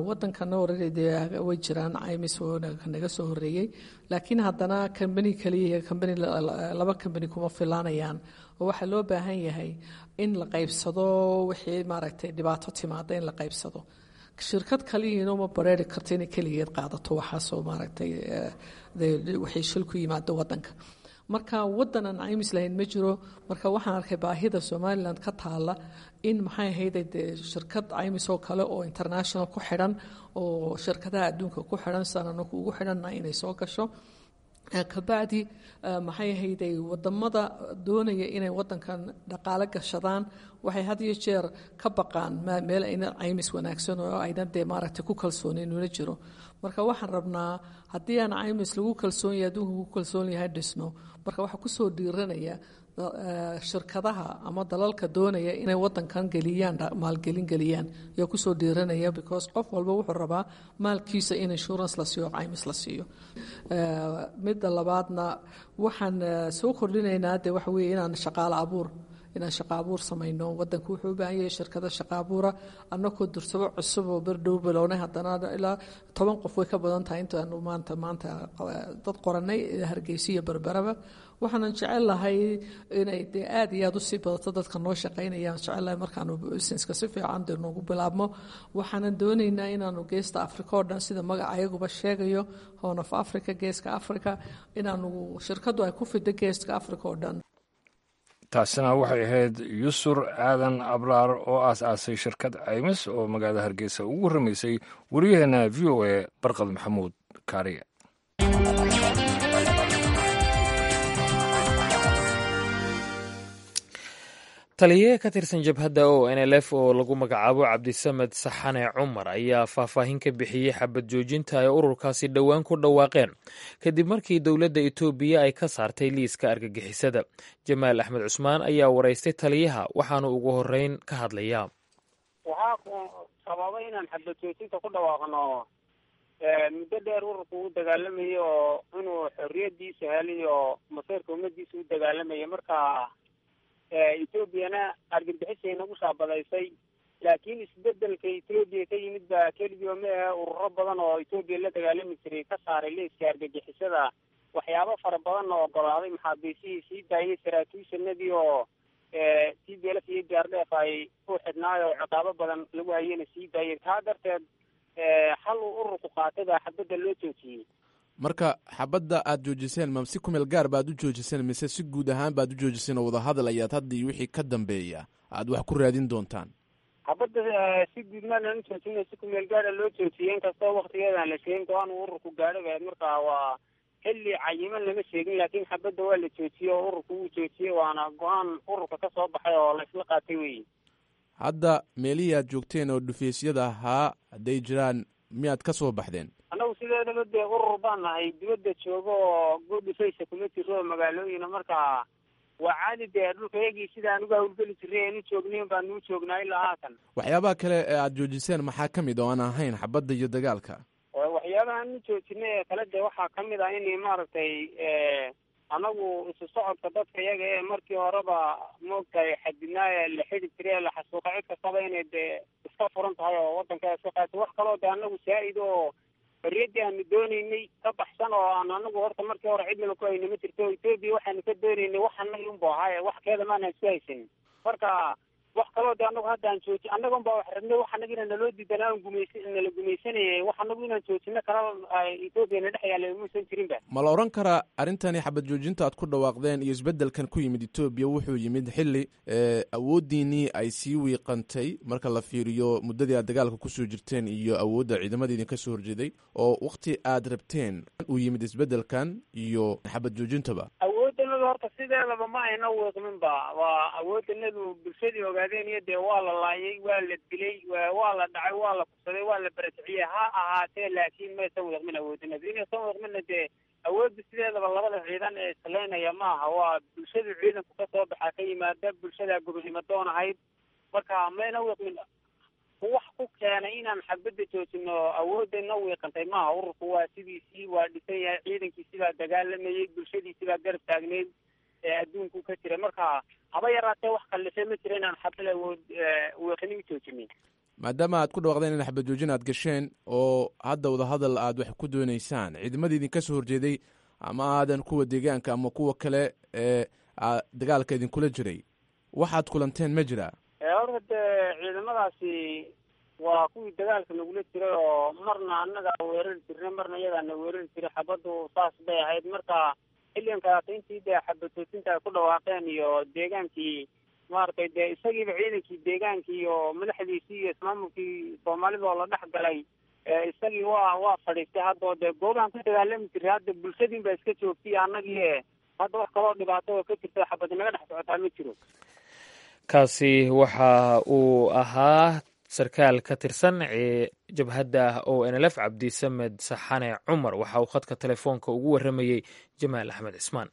Wadankana already dee way jiraan caymis naga soo horeeyey, laakiin haddana kambani kaliya, kambani laba kambani kuma filaanayaan, oo waxaa loo baahan yahay in la qaybsado wixii maaragtay dhibaato timaada in la qaybsado. Shirkad kaliyiina uma bareeri karto inay keligeed qaadato waxaasoo maaragtay wixii shil ku yimaado wadanka. Marka wadan aan caymis lahayn ma jiro. Marka waxaan arkay baahida Somaliland ka taala in maxay ahayd dee shirkad caymis oo kale oo international ku xidhan oo shirkadaha adduunka ku xidhan sidaan anagu ugu xidhanna inay soo gasho. Kabacdi maxay ahayday, wadamada doonaya inay wadankan dhaqaale gashadaan waxay had iyo jeer ka baqaan meel ayna caymis wanaagsan oo ayna dee maaragtay ku kalsoonayn una jiro. Marka waxaan rabnaa haddii aan caymis lagu kalsoon yahay, adduunka ku kalsoon yahay dhisno, marka waxaa kusoo dhiiranaya Shirkadaha ama dalalka doonaya inay wadankan geliyaan, maalgelin geliyaan ayaa kusoo dhiiranaya, because qof walba wuxuu rabaa maalkiisa in insurance la siiyo, caymis la siiyo. Midda labaadna waxaan soo kordhinaynaa dee waxa weeye inaan shaqa abuur samayno. Wadanku wuxuu u baahan yahay shirkado shaqa abuura. Annakoo dursabo cusub oo berdhow bilownay, haddana ilaa 10 qof way ka badan tahay intaanu maanta dad qoranay Hargeysa iyo Berberaba. Waxaanan jecel lahay inay dee aad iyo aad usii badato dadka noo shaqaynaya. Aan jecel lahay markaanu businesska si fiican dee noogu bilaabmo. Waxaanan doonaynaa inaanu geesta Africa oo dhan, sida magaca ayaguba sheegayo, Horn of Africa, geeska Africa, inaanu shirkadu ay ku fido geeska Africa oo dhan. Taasina waxay ahayd Yusur Aadan Abraar oo aas-aasay shirkad caymis oo magaalada Hargeysa ugu warramaysay wariyaheena VOA Barqad Maxamuud Kaariye. Taliye ka tirsan jabhadda ONLF oo lagu magacaabo Cabdisamed Saxane Cumar ayaa faahfaahin ka bixiyey xabad joojinta ay ururkaasi dhowaan ku dhawaaqeen kadib markii dowladda Itoobiya ay ka saartay liiska argagixisada. Jamaal Axmed Cusmaan ayaa waraystay taliyaha, waxaanu ugu horeyn ka hadlayaa. Waxaa ku sababay inaan xabad joojinta ku dhawaaqno, muddo dheer ururku u dagaalamayay oo inuu xorriyadiisa helay oo maseerka ummadiisa u dagaalamayay. Marka Etoobiyana argagixisay nagu shaabadaysay, laakiin isbedelka Etoobiya ka yimid baa keligii ma ahe, ururo badan oo Etoobiya la dagaalami jiray ka saaray liiska argagixisada, waxyaabo fara badan oo ogolaaday, maxaabiisihii sii daayay, saraakiishanadii oo TPLF iyo DRDF ay ku xidhnaay oo ciqaabo badan lagu hayena sii daayay. Taa darteed xal uu ururku qaatay baa xabadda loo joojiyey. Marka xabadda aad joojiseen, ma si kumeel gaar baad u joojiseen mise si guud ahaan baad u joojiseen oo wadahadal ayaad hadda iyo wixii ka dambeeya aad wax ku raadin doontaan? Xabadda si guud maanaan u joojina, si kumeel gaara loo joojiyey, inkastoo waktigeedaan la sheegin go-aan uu ururku gaadhay ba. Marka waa xilli cayiman lama sheegin, laakiin xabadda waa la joojiyey oo ururku wuu joojiyey, waana go-aan ururka ka soo baxay oo laysla qaatay weyi. Hadda meelihii aad joogteen oo dhufeysyada ahaa hadday jiraan, miyaad ka soo baxdeen? Annagu sideedaba dee urur baan nahay dibadda joogo oo godhufaysa kuma jiro oo magaalooyina. Marka waa caadi dee dhulka yagii sidaan uga hawlgeli jiray eenu joognayn baan nuu joognaa ilaa haatan. Waxyaabaha kale ee aad joojiseen maxaa ka mid oo aan ahayn xabadda iyo dagaalka? Waxyaabaha aanu joojinay ee kale dee waxaa ka mid ah in maaragtay anagu isu socodka dadka iyaga ee markii horeba maogtahay xadidnaa ee la xidi jiray ee la xasuuqa cid kastaba inay dee iska furan tahay oo waddanka iska qaato. Wax kaloo dee anagu saa-id oo xorriyaddii aanu doonaynay ka baxsan oo aan anagu horta markii hore cidnaba ku hayna ma jirto. Etoobiya waxaanu ka doonaynay wax anagi unbu ahaaye, wax keeda maanaan isku haysanin. Marka wax kaloo de anagu hadda aan jooji, annaga unbaa wax rabnay, wax annaga inaan naloo diidanaa on gumaysa nala gumaysanayay, wax anagu inaan joojino kala Etoobiya na dhex yaalla muusan jirinba. Ma la odhan karaa arrintani xabad joojinta aad ku dhawaaqdeen iyo isbeddelkan ku yimid Etoobiya wuxuu yimid xilli awooddiinii ay sii wiiqantay marka la fiiriyo muddadii aad dagaalka kusoo jirteen iyo awoodda ciidamada idinka soo horjeeday, oo wakti aad rabteen uu yimid isbeddelkan iyo xabad joojintaba? Awooddanadu horta sideedaba ma ayna wiiqminba. Waa awooddanadu bulshadii ogaadeen iyo dee waa la laayay, waa la dilay, waa la dhacay, waa la kufsaday, waa la barakiciyey ha ahaatee, laakiin maysan wiiqmin awooddanadu. Inaysan wiiqminna dee awoodda sideedaba labada ciidan ee isleynaya maaha, waa bulshadu ciidanku ka soo baxaa ka yimaada bulshada gobonimo doon ahayd. Marka mayna wiiqmin. Wax ku keenay inaan xabadda joojino awoodana wiiqantay maaha. Ururku waa sidiisii, waa dhisan yahay, ciidankiisi baa dagaalamayay, bulshadiisi baa garab taagneyd ee adduunku ka jira. Marka haba yaraatee wax kallifay ma jira inaan xabad awood wiiqini u joojinin. Maadaama aad ku dhawaaqdeen in xabad joojin aad gasheen oo hadda wadahadal aad wax ku doonaysaan, ciidamadii idinka soo horjeeday ama aadan kuwa deegaanka ama kuwa kale ee dagaalka idinkula jiray, waxaad kulanteen ma jiraa? Horta dee ciidamadaasi waa kuwii dagaalka nagula jiray oo marna annagaa weerari jirnay, marna iyagaa na weerari jiray. Xabaddu saas bay ahayd. Marka xilligan kalaata intii dee xabad joojinta ay ku dhawaaqeen iyo deegaankii maaragtay dee isagiiba ciidankii deegaankii iyo madaxdiisii iyo ismaamulkii soomaalida oo la dhex galay, isagii waa fadhiistay hadda oo dee goobahan ku dagaalami jiray hadda bulshadiin baa iska joogtay annagii. Hadda wax kaloo dhibaato oo ka jirta xabad naga dhex socotaa ma jiro. Kaasi waxa uu ahaa sarkaal ka tirsan jabhadda ONLF, Cabdisamed Saxane Cumar. Waxa uu khadka telefoonka ugu warramayey Jamaal Axmed Cismaan.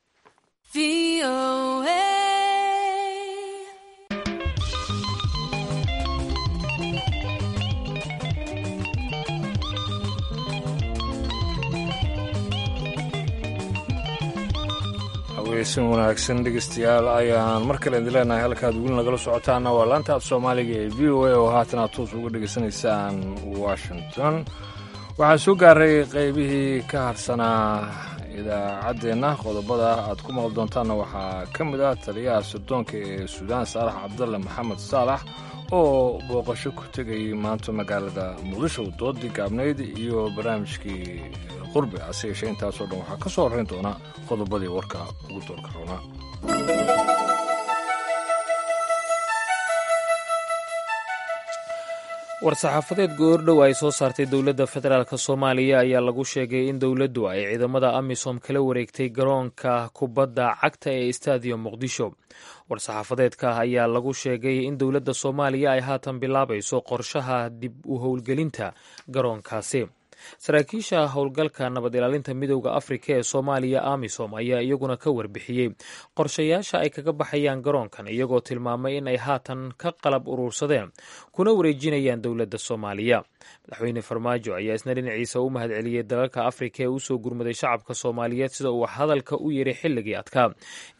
Caweysan wanaagsan dhegeystayaal ayaan mar kale idin leenahay. Halkaad weli nagala socotaana waa laanta af soomaaliga ee v o a oo haatan aad toos uga dhegeysanaysaan Washington. Waxaa soo gaaray qaybihii ka harsanaa idaacaddeenna. Qodobada aad ku maqli doontaanna waxaa ka mid ah taliyaha sirdoonka ee Suudaan Saalax Cabdalle Maxamed Saalax oo booqasho ku tegayay maanta magaalada Muqdisho, doodii gaabnayd iyo barnaamijkii qurbi. Hase yeeshee intaasoo dhan waxaa ka soo horrayn doona qodobadii warka ugu doorka roonaa. War-saxaafadeed goordhow ay soo saartay dowladda federaalk Soomaaliya ayaa lagu sheegay in dowladdu ay ciidamada AMISOM kala wareegtay garoonka kubadda cagta ee Stadium Muqdisho. War-saxaafadeedka ayaa lagu sheegay in dowladda Soomaaliya ay haatan bilaabayso qorshaha dib u howlgelinta garoonkaasi. Saraakiisha howlgalka nabad ilaalinta Midowda Afrika ee Soomaaliya, AMISOM, ayaa iyaguna ka warbixiyey qorshayaasha ay kaga baxayaan garoonkan, iyagoo tilmaamay in ay haatan ka qalab uruursadeen kuna wareejinayaan dowladda Soomaaliya. Madaxweyne Farmaajo ayaa isna dhinaciisa u mahadceliyey dalalka Afrika ee usoo gurmaday shacabka Soomaaliyeed, sida uu hadalka u yiri xilligii adkaa,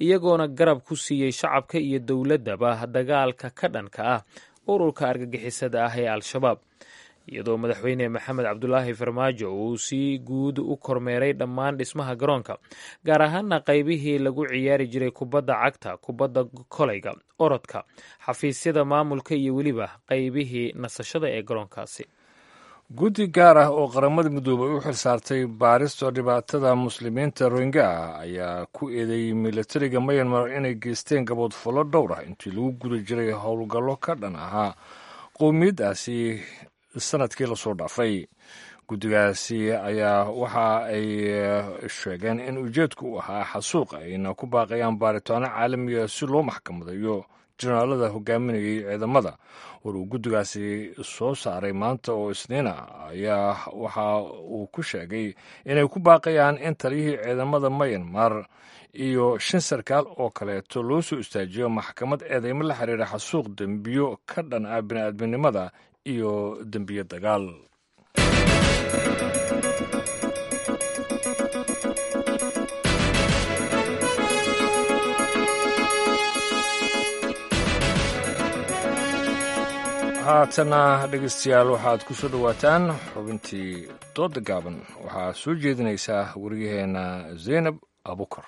iyagoona garab ku siiyey shacabka iyo dowladdaba dagaalka ka dhanka ah ururka argagixisada ah ee Al-Shabaab. Iyadoo madaxweyne Maxamed Cabdulaahi Farmaajo uu si guud u kormeeray dhammaan dhismaha garoonka, gaar ahaana qaybihii lagu ciyaari jiray kubadda cagta, kubadda kolayga, orodka, xafiisyada maamulka iyo weliba qaybihii nasashada ee garoonkaasi. Guddi gaar ah oo Qaramada Midoobay u xil saartay baarista dhibaatada muslimiinta Rohingya ayaa ku eedeeyey milatariga Myanmar inay geysteen gaboodfallo dhowr ah intii lagu guda jiray howlgallo ka dhan ahaa qowmiyaddaasi sanadkii lasoo dhaafay. Guddigaasi ayaa waxa ay sheegeen in ujeedku u ahaa xasuuq, ayna ku baaqayaan baaritaano caalamiga si loo maxkamadayo jenaraalada hogaaminayay ciidamada. War uu guddigaasi soo saaray maanta oo Isniina ayaa waxa uu ku sheegay inay ku baaqayaan in taliyihii ciidamada Mayanmar iyo shan sarkaal oo kaleeto loo soo istaajiyo maxkamad eedeymo la xiriira xasuuq, dembiyo ka dhan ah bini'aadminimada iyo dembiyo dagaal. Haatana dhegeystayaal, waxaad ku soo dhowaataan xubintii dooda gaaban. Waxaa soo jeedinaysaa wariyaheenna Zaynab Abukar.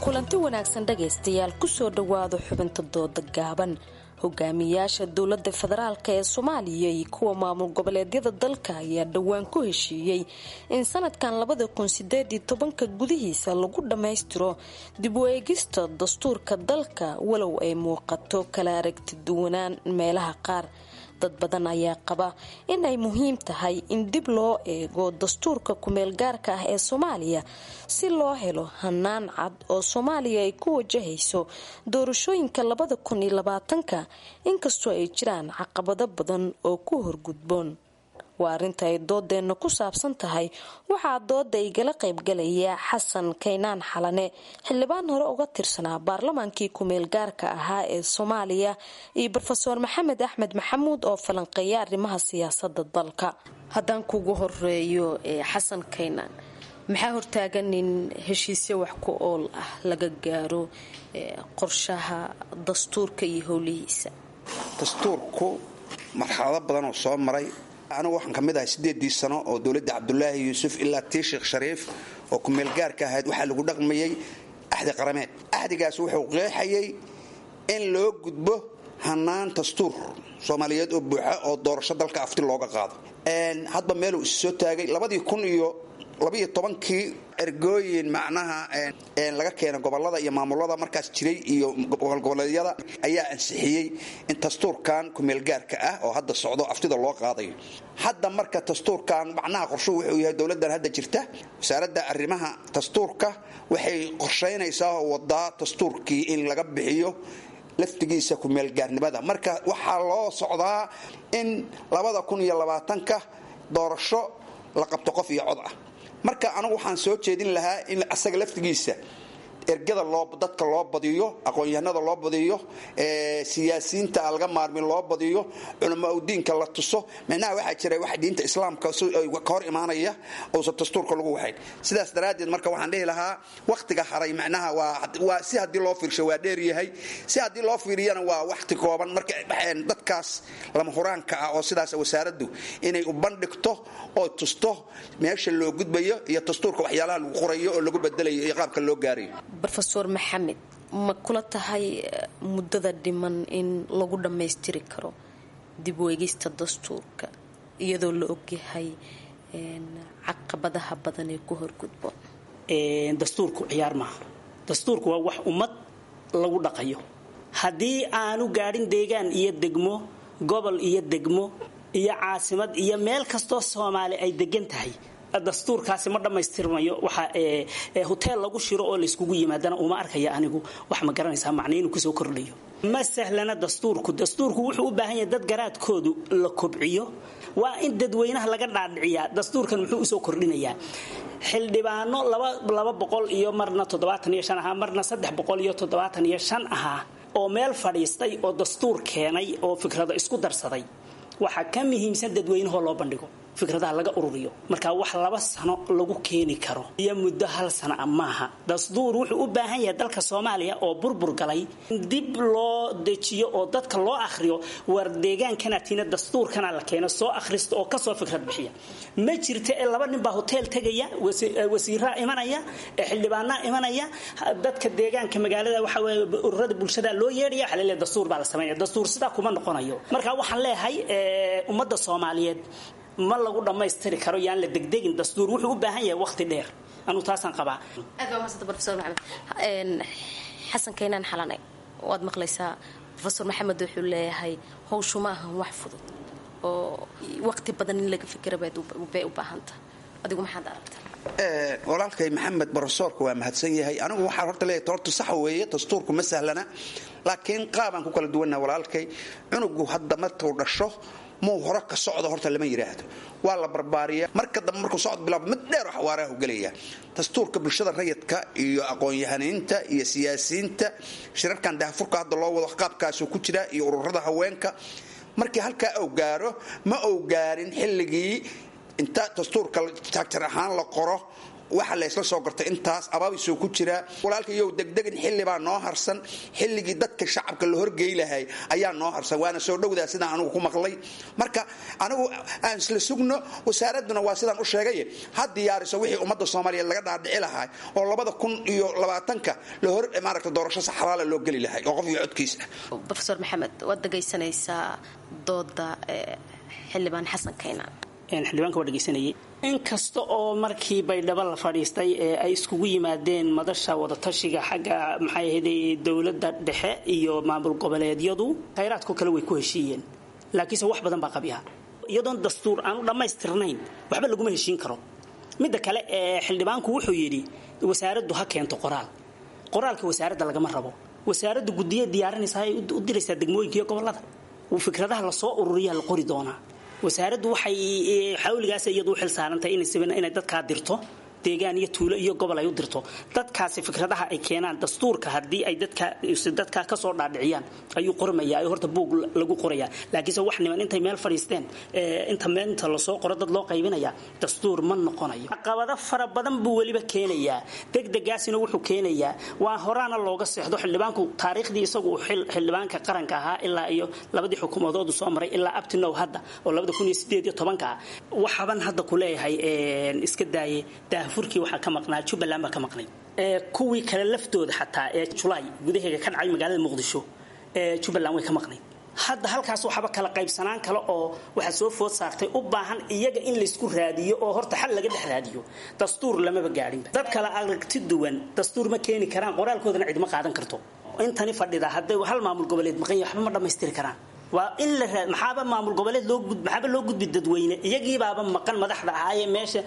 Kulanti wanaagsan dhagaystayaal, kusoo dhowaada xubinta dooda gaaban. Hogaamiyaasha dowlada federaalk ee Soomaaliya iyo kuwa maamul goboleedyada dalka ayaa dhowaan ku heshiiyey in sanadkan 2018-ka gudihiisa lagu dhammaystiro dib u eegista dastuurka dalka, walow ay muuqato kala aragti duwanaan meelaha qaar. Dad badan ayaa qaba in ay muhiim tahay in dib loo eego dastuurka kumeelgaarka ah ee Soomaaliya si loo helo hanaan cad oo Soomaaliya ay ku wajahayso doorashooyinka 2020-ka, inkastoo ay jiraan caqabado badan oo ku horgudboon. Waa arrinta ay doodeenna ku saabsan tahay. Waxaa dooda igala qaybgalaya Xasan Kaynaan Xalane, xildhibaan hore uga tirsanaa baarlamaankii kumeelgaarka ahaa ee Soomaaliya, iyo Brofeor Maxamed Axmed Maxamuud oo falanqeeya arrimaha siyaasada dalka. Haddaan kugu horeeyo Xasan Kaynaan, maxaa hortaagan in heshiisyo wax ku ool ah laga gaaro qorshaha dastuurka iyo howlihiisa? Dastuurku marxalado badan oo soo maray. Anigu waxaan ka mid ahay 8-dii sano oo dowladda Cabdulaahi Yuusuf ilaa tii Sheekh Shariif oo kumeelgaarka ahayd waxaa lagu dhaqmayay axdi qarameed. Axdigaas wuxuu qeexayay in loo gudbo hanaan dastuur Soomaaliyeed oo buuxa oo doorasho dalka afti looga qaado. Hadba meeluu is soo taagay 2012-kii ergooyin macnaha laga keena gobolada iyo maamulada markaas jiray iyo gobolgoboleedyada ayaa ansixiyey in dastuurkan kumeelgaarka ah oo hadda socdo aftida loo qaadayo. Hadda marka dastuurkan macnaha qorshuhu wuxuu yahay dowladdan hadda jirta, wasaaradda arrimaha dastuurka waxay qorshaynaysaa oo wadaa dastuurkii in laga bixiyo laftigiisa kumeelgaarnimada. Marka waxaa loo socdaa in 2020-ka doorasho la qabto qof iyo cod ah. Marka anigu waxaan soo jeedin lahaa in asaga laftigiisa Ergada loo dadka loo badiyo, aqoon-yahanada loo badiyo, siyaasiyiinta aan laga maarmin loo badiyo, culamaa udiinka la tuso. Micnaha waxaa jira wax diinta islaamka ka hor imaanaya uusan dastuurka lagu waxayn. Sidaas daraaddeed marka waxaan dhihi lahaa wakhtiga haray macnaha waa si haddii loo fiirsho waa dheer yahay, si haddii loo fiiriyana waa wakhti kooban. Marka dadkaas lama huraanka ah oo sidaas wasaaraddu inay u bandhigto oo tusto meesha loo gudbayo iyo dastuurka waxyaalaha lagu qorayo oo lagu bedelayo iyo qaabka loo gaarayo. Rofeor Maxamed, ma kula tahay muddada dhiman in lagu dhammaystiri karo dib u eegista dastuurka iyadoo la ogyahay caqabadaha badan ee ku horgudbo? Dastuurku ciyaar maaha. Dastuurku waa wax ummad lagu dhaqayo. Haddii aanu gaadhin deegaan iyo degmo, gobol iyo degmo iyo caasimad iyo meel kastoo Soomaali ay degan tahay, dastuurkaasi ma dhammaystirmayo. Waxa hoteel lagu shiro oo layskugu yimaadana uma arkaya anigu wax ma garanaysaa macna inuu kusoo kordhayo. Ma sahlana dastuurku. Dastuurku wuxuu u baahan yahay dad garaadkoodu la kobciyo. Waa in dadweynaha laga dhaadhiciyaa dastuurkan muxuu usoo kordhinayaa. Xildhibaano 200 iyo marna 75 ahaa, marna 375 ahaa oo meel fadhiistay oo dastuur keenay oo fikrado isku darsaday, waxaa ka muhiimsan dadweynahoo loo bandhigo, fikradaha laga ururiyo. Marka wax 2 sano lagu keeni karo iyo muddo 1 sano ah maaha. Dastuur wuxuu u baahan yahay dalka Soomaaliya oo burbur galay dib loo dejiyo oo dadka loo akhriyo. War deegaankana tiina dastuurkana la keeno, soo akhrista oo kasoo fikrad bixiya. Ma jirta ee 2 nin baa hotel tegaya, wasiiraa imanaya, xildhibaanaa imanaya, dadka deegaanka magaalada waxa weeye ururada bulshada loo yeedhaya, waxa la leeyahay dastuur baa la sameynaya. Dastuur sidaa kuma noqonayo. Marka waxaan leeyahay ummadda Soomaaliyeed ma lagu dhammaystiri karo, yaan la degdegin. Dastuur wuxuu u baahan yahay waqti dheer, anuu taasaan qabaa. Aad baa umahadsanta Profesor Maxamed. Xasan Kaynaan Xalanay, waad maqlaysaa Profesor Maxamed wuxuu leeyahay howshu ma ahan wax fudud oo waqti badan in laga fikira bay u baahan tahay. Adigu maxaad aragtaa? Walaalkay Maxamed brofesoorka waa mahadsan yahay. Anigu waxaan horta leeyahay horta sax weeye, dastuurku ma sahlana, laakiin qaabaan ku kala duwannaha walaalkay. Cunugu hadda markuu dhasho muu hore ka socdo horta lama yidhaahdo, waa la barbaariya. Marka dambe markuu socod bilaabo mid dheer oo xawaaraha gelaya. Dastuurka bulshada rayidka iyo aqoon-yahaniinta iyo siyaasiyiinta shirarkan daahfurka hadda loo wado qaabkaasuu ku jiraa iyo ururada haweenka. Markii halkaa uu gaaro, ma uu gaarin xilligii inta dastuurka taagtar ahaan la qoro waxa la isla soo gartay, intaas abaabisuu ku jiraa. Walaalka iyow degdegin, xilli baa noo harsan. Xilligii dadka shacabka la horgey lahay ayaa noo harsan, waana soo dhowdaa sidaan anigu ku maqlay. Marka anigu aan isla sugno, wasaaradduna waa sidaan u sheegay ha diyaariso wixii ummadda Soomaaliyeed laga dhaadhici lahay oo 2020-ka la hor maaragta doorasho saxraala loo geli lahay oo qof iyo codkiisa. Profesor Maxamed, waad dhegaysanaysaa dooda xildhibaan Xasan Kaynaan. Xildhibaanka waa dhegaysanayay. Inkasta oo markii Baydhabo la fadhiistay ee ay iskugu yimaadeen madasha wadatashiga xagga maxay ahayd dowladda dhexe iyo maamul goboleedyadu, khayraadko kale way ku heshiiyeen, laakiinse wax badan baa qabyaha. Iyadoon dastuur aanu dhammaystirnayn waxba laguma heshiin karo. Midda kale ee xildhibaanku wuxuu yidhi wasaaraddu ha keento qoraal. Qoraalka wasaaradda lagama rabo. Wasaaraddu guddiye diyaarinaysaa, ay u diraysaa degmooyinka iyo gobollada. Fikradaha lasoo ururiyaa la qori doonaa. Wasaaraddu waxay xawligaas iyadu u xil saarantahay inay dadkaa dirto deegaan iyo tuulo iyo gobol ay u dirto. Dadkaasi fikradaha ay keenaan dastuurka haddii ay dadka ka soo dhaadhiciyaan ayuu qormayaa, ay horta buug lagu qorayaa. Laakiinse wax niman intay meel fadhiisteen inta meenta lasoo qoro dad loo qaybinaya dastuur ma noqonayo. Caqabado fara badan buu weliba keenayaa. Degdegaasina wuxuu keenayaa waa horaana looga seexdo. Xildhibaanku taariikhdii isagu xildhibaanka qaranka ahaa ilaa iyo labadii xukuumadood soo maray ilaa abtinow hadda oo 2018 ah, waxaban hadda ku leeyahay iska daaye daahfurkii waxaa ka maqnaa Jubbaland baa ka maqnay. Kuwii kale laftooda xataa ee Julaay gudaheega ka dhacay magaalada Muqdisho ee Jubbaland way ka maqnay. Hadda halkaas waxaba kala qaybsanaan kale oo waxa soo food saartay u baahan iyaga in laysku raadiyo oo horta xal laga dhex raadiyo. Dastuur lamaba gaadhinba. Dad kala aragti duwan dastuur ma keeni karaan, qoraalkoodana cidma qaadan karto. Intani fadhida hadday hal maamul goboleed maqan yahay waxba ma dhammaystiri karaan. Waa in la maxaaba maamul goboleed loo maxaaba loo gudbi dadweyne, iyagiibaaba maqan madaxda ahaayee meesha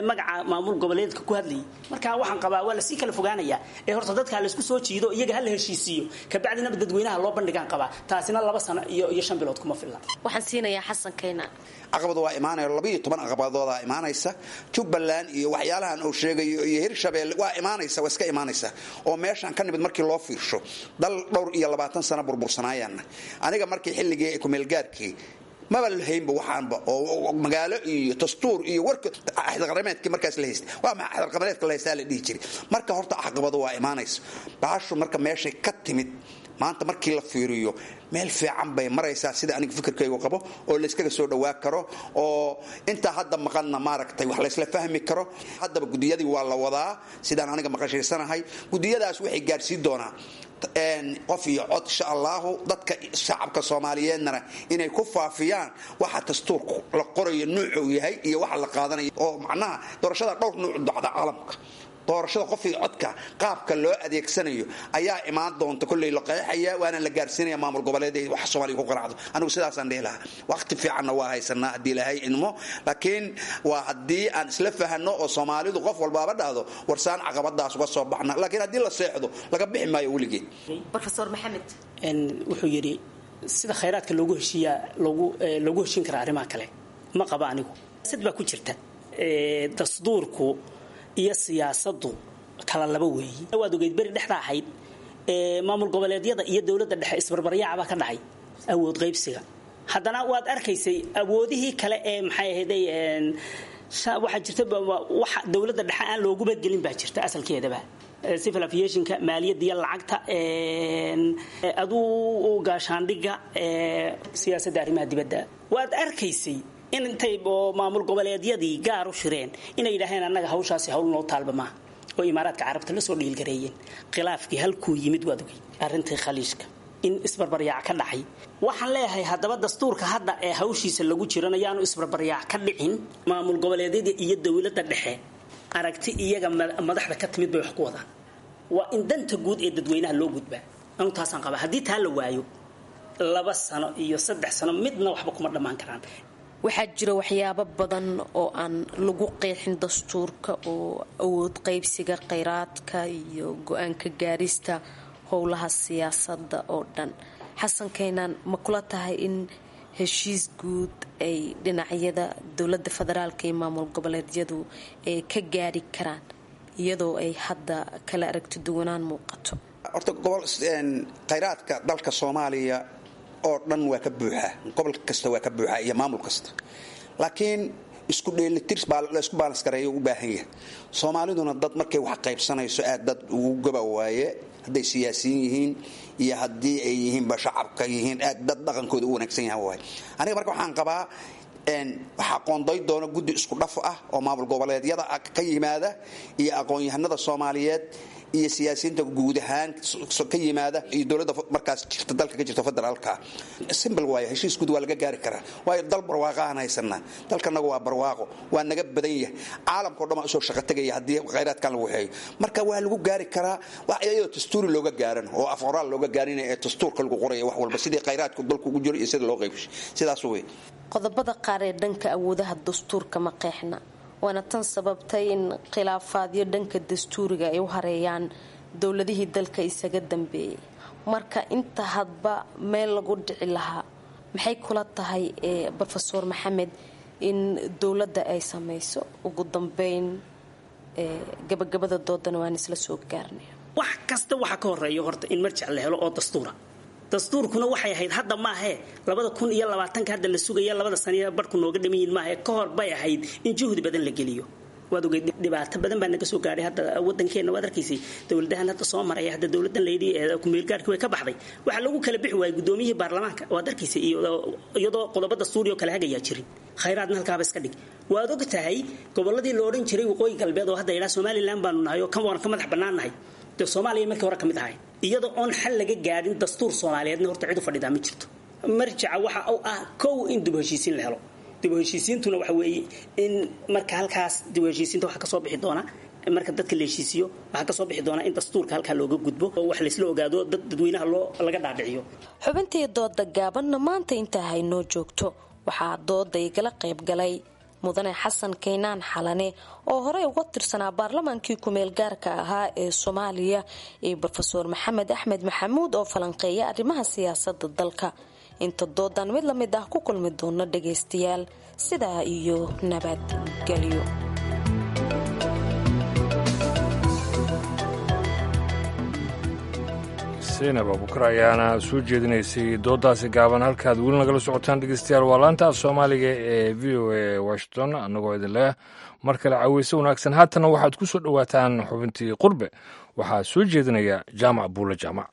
magaca maamul goboleedka ku hadlayay. Marka waxaan qabaa waa lasii kala fogaanayaa ee horta dadka laysku soo jiido, iyaga ha la heshiisiiyo, kabacdina dadweynaha loo bandhigaan qabaa. Taasina 2 sano iyo 5 bilood kuma filla. Waxaan siinayaa Xasan Kayna. Caqabad waa imaanaya, 12 caqabadoodaa imaanaysa. Jubbaland iyo waxyaalahan uu sheegayo iyo Hirshabeelle waa imaanaysa, waa iska imaanaysa. Oo meeshaan ka nimid markii loo fiirsho dal dhowr iyo 20 sano burbursanaayana. Aniga markii xilligii kumeelgaarkii maba lahaynba waxaanba oo magaalo iyo dastuur iyo warka axdaqarameedkii markaas la haystay, waa maxay axdaqarameedka la haystaa la dhihi jiray. Marka horta caqabado waa imaanaysa. Bahashu marka meeshay ka timid maanta markii la fiiriyo meel fiican bay maraysaa, sida aniga fikirkaygu qabo, oo layskaga soo dhawaa karo, oo intaa hadda maqanna maaragtay wax laysla fahmi karo. Haddaba gudiyadii waa la wadaa sidaan aniga maqashaysanahay. Gudiyadaas waxay gaarsiin doonaa qof iyo cod insha allahu. Dadka shacabka soomaaliyeednana inay ku faafiyaan waxa dastuurku la qorayo nuucuu yahay iyo waxa la qaadanayo, oo macnaha doorashada dhowr nuuc dhacda caalamka. Doorashada qof iyo codka qaabka loo adeegsanayo ayaa imaan doonta, kolley la qeexaya waana la gaarsiinaya maamul goboleed wax Soomaaliya ku qanacdo. Anigu sidaasaan dhihi lahaa. Waqti fiicanna waa haysanaa haddii Ilaahay idmo, laakiin waa haddii aan isla fahanno oo Soomaalidu qof walbaaba dhahdo warsaan caqabadaas uga soo baxna. Laakiin haddii la seexdo laga bixi maayo weligeed. Professor Maxamed wuxuu yidhi sida khayraadka loogu heshiiyaa loogu heshiin karaa arrimaha kale ma qaba anigu. Sad baa ku jirta dastuurku iyo siyaasadu kala laba weeyi. Waad ogeyd beri dhexda ahayd maamul goboleedyada iyo dowladda dhexe isbarbaryaacbaa ka dhacay awood qaybsiga. Haddana waad arkaysay awoodihii kale ee maxay ahayday, waxaa jirta waxa dowladda dhexe aan loogu badgelin baa jirta asalkeedaba, civil aviationka, maaliyadda iyo lacagta, aduu gaashaandhigga, siyaasadda arrimaha dibadda. Waad arkaysay in intay oo maamul goboleedyadii gaar u shireen inay yidhaaheen annaga hawshaasi hawl noo taalba maaha, oo Imaaraadka Carabta la soo dhiilgareeyeen. Khilaafkii halkuu yimid waad ogey, arrintii Khaliijka in isbarbaryaac ka dhacay. Waxaan leeyahay haddaba dastuurka hadda ee hawshiisa lagu jirana yaanu isbarbaryaac ka dhicin. Maamul goboleedyada iyo dowladda dhexe aragti iyaga madaxda ka timid bay wax ku wadaan. Waa in danta guud ee dadweynaha loo gudbaa. Anu taasaan qabaa. Haddii taa la waayo 2 sano iyo 3 sano midna waxba kuma dhammaan karaan. Waxaa jira waxyaabo badan oo aan lagu qeexin dastuurka, oo awood qaybsiga kheyraadka iyo go-aanka gaarista howlaha siyaasadda oo dhan. Xasan Kaynaan, ma kula tahay in heshiis guud ay dhinacyada dowladda federaalka iyo maamul goboleedyadu ay ka gaari karaan iyadoo ay hadda kala aragti duwanaan muuqato? Horta gobol kheyraadka dalka Soomaaliya oo dhan waa ka buuxa, gobol kasta waa ka buuxa iyo maamul kasta, laakiin isku dheelitir laisku baalanskareeyo u baahan yahay. Soomaaliduna dad markay wax qaybsanayso aad dad ugu gaba waaye, hadday siyaasiyiin yihiin iyo haddii ay yihiinba shacabka yihiin, aad dad dhaqankooda u wanaagsan yahan waaye. Aniga marka waxaan qabaa waxaa qoonday doona guddi isku dhaf ah oo maamul goboleedyada ka yimaada iyo aqoon-yahanada soomaaliyeed iyo siyaasiyiinta guud ahaan ka yimaada iyo dowladda markaas jirta dalka ka jirta federaalka. Simple waayo, heshiis guud waa laga gaari karaa, waayo dal barwaaqo aan haysanaa. Dalkanagu waa barwaaqo, waa naga badan yahay, caalamkao dhan baa usoo shaqo tegaya haddii khayraadkan lagu waxeeyo. Marka waa lagu gaari karaa wax iyadoo dastuuri looga gaaran oo af qoraal looga gaarin ee dastuurka lagu qoraya wax walba sidii khayraadku dalku ugu jiro iyo sida loo qaybshay, sidaas wey. Qodobada qaar ee dhanka awoodaha dastuurka ma qeexna, waana tan sababtay in khilaafaadyo dhanka dastuuriga ay u hareeyaan dowladihii dalka isaga dambeeyay. Marka inta hadba meel lagu dhici lahaa, maxay kula tahay Brofesor Maxamed in dowladda ay samayso ugu dambeyn? Gabagabada doodana waan isla soo gaarnay. Wax kasta waxa ka horeeya horta in marjac la helo oo dastuura. Dastuurkuna waxay ahayd hadda maahee 2020-ka hadda la sugaya, 2da saniya barhku nooga dhamayin maahe, ka hor bay ahayd in juhdi badan la geliyo. Waad ogeyd dhibaato badan baa naga soo gaadhay hadda wadankeena. Waad arkaysay dowladahan hadda soo maraya, hadda dowladan layidhi kumeelgaarkii way ka baxday, waxaa lagu kala bixi waayay gudoomiyihii baarlamaanka, waad arkaysay, iyadoo qodobo dastuuri oo kala hagayaa jirin. Khayraadna halkaaba iska dhig. Waad og tahay gobolladii la odhan jiray Waqooyi Galbeed oo hadda ilaa Somaliland baanu nahay oo kan waan ka madax bannaan nahay, dee Soomaaliya markii hore ka mid ahay, iyadoo oon xal laga gaadhin dastuur soomaaliyeedna horta cid u fadhidaa ma jirto. Marjaca waxa uu ah kow in dib heshiisiin la helo. Dib u heshiisiintuna waxa weeye in marka halkaas dib u heshiisiinta waxa kasoo bixi doona, marka dadka la heshiisiyo waxaa kasoo bixi doona in dastuurka halkaa looga gudbo oo wax laysla ogaado, dad dadweynaha loo laga dhaadhiciyo. Xubintii dooda gaabanna maanta intaa haynoo joogto. Waxaa dooda igala qayb galay Mudane Xasan Kaynaan Xalane oo horey uga tirsanaa baarlamaankii kumeel gaarka ahaa ee Soomaaliya iyo Brofeor Maxamed Axmed Maxamuud oo falanqeeya arrimaha siyaasada dalka. Inta doodan mid la mid ah ku kulmi doono dhagaystayaal, sidaa iyo nabadgelyo. Seynab Abukar ayaana soo jeedinaysay doodaasi gaaban. Halkaad weli nagala socotaan dhegeystayaal waa laanta af Soomaaliga ee VOA Washington, annagoo idin leh mar kale caweyse wanaagsan. Haatana waxaad ku soo dhowaataan xubintii Qurbe. Waxaa soo jeedinaya Jaamac Buule Jaamac.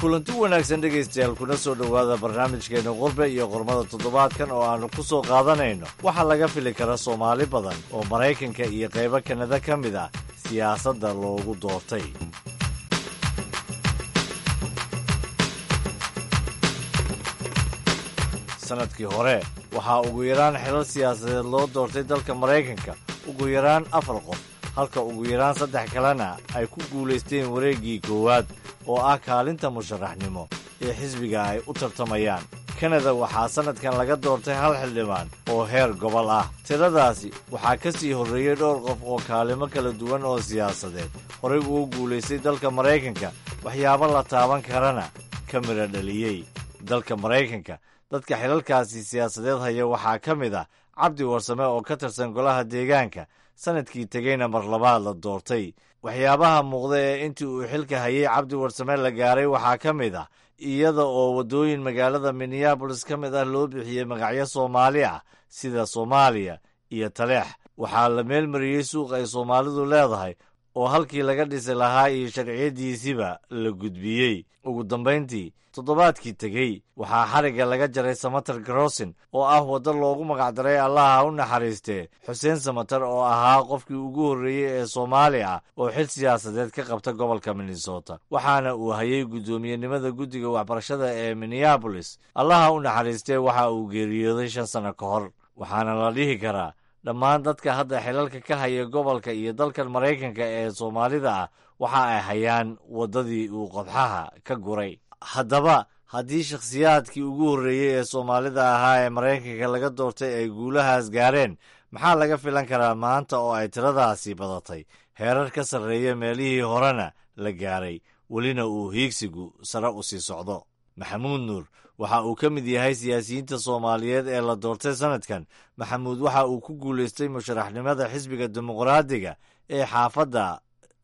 Kulanti wanaagsan dhegaystayaal, kuna soo dhowaada barnaamijkeenna Qurbe iyo Qormada toddobaadkan oo aannu ku soo qaadanayno waxaa laga fili kara Soomaali badan oo Maraykanka iyo qaybo Kanada ka mid ah siyaasadda loogu doortay. Sannadkii hore waxaa ugu yaraan xilal siyaasadeed loo doortay dalka Maraykanka ugu yaraan afar qof, halka ugu yaraan saddex kalena ay ku guulaysteen wareeggii koowaad oo ah kaalinta musharaxnimo ee xisbiga ay u tartamayaan. Kanada waxaa sannadkan laga doortay hal xildhibaan oo heer gobol ah. Tiradaasi waxaa ka sii horreeyey dhowr qof oo kaalimo kala duwan oo siyaasadeed horey ugu guulaystay dalka Maraykanka, waxyaabo la taaban karana ka midha dhaliyey. Dalka Maraykanka dadka xilalkaasi siyaasadeed haya waxaa ka mid ah Cabdi Warsame oo ka tirsan golaha deegaanka, sannadkii tegeyna mar labaad la doortay. Waxyaabaha muuqda ee intii uu xilka hayay Cabdi Warsame la gaaray waxaa ka mid ah iyada oo waddooyin magaalada Minneabolis ka mid ah loo bixiyey magacyo Soomaali ah sida Soomaaliya iyo Taleex. Waxaa la meelmariyey suuq ay Soomaalidu leedahay oo halkii laga dhisi lahaa iyo sharciyadiisiba la gudbiyey. Ugu dambayntii, toddobaadkii tegey waxaa xarigga laga jaray Samater Crossing oo ah waddo loogu magacdaray, Allaha u naxariistee, Xuseen Samater oo ahaa qofkii ugu horreeyey ee Soomaali ah oo xil siyaasadeed ka qabta gobolka Minnesota, waxaana uu hayay guddoomiyenimada guddiga waxbarashada ee Minneabolis. Allaha u naxariistee, waxa uu geeriyooday 5 sano ka hor. Waxaana la dhihi karaa dhammaan dadka hadda xilalka ka haya gobolka iyo dalkan Maraykanka ee Soomaalida ah waxa ay hayaan waddadii uu qodxaha ka guray. Haddaba, haddii shakhsiyaadkii ugu horreeyey ee Soomaalida ahaa ee Maraykanka laga doortay ay guulahaas gaareen, maxaa laga filan karaa maanta oo ay tiradaasi badatay, heerar ka sarreeya meelihii horena la gaaray, welina uu hiigsigu sare u sii socdo? Maxamuud Nuur waxa uu ka mid yahay siyaasiyiinta Soomaaliyeed ee la doortay sannadkan. Maxamuud waxa uu ku guulaystay musharaxnimada xisbiga Dimuqraadiga ee xaafadda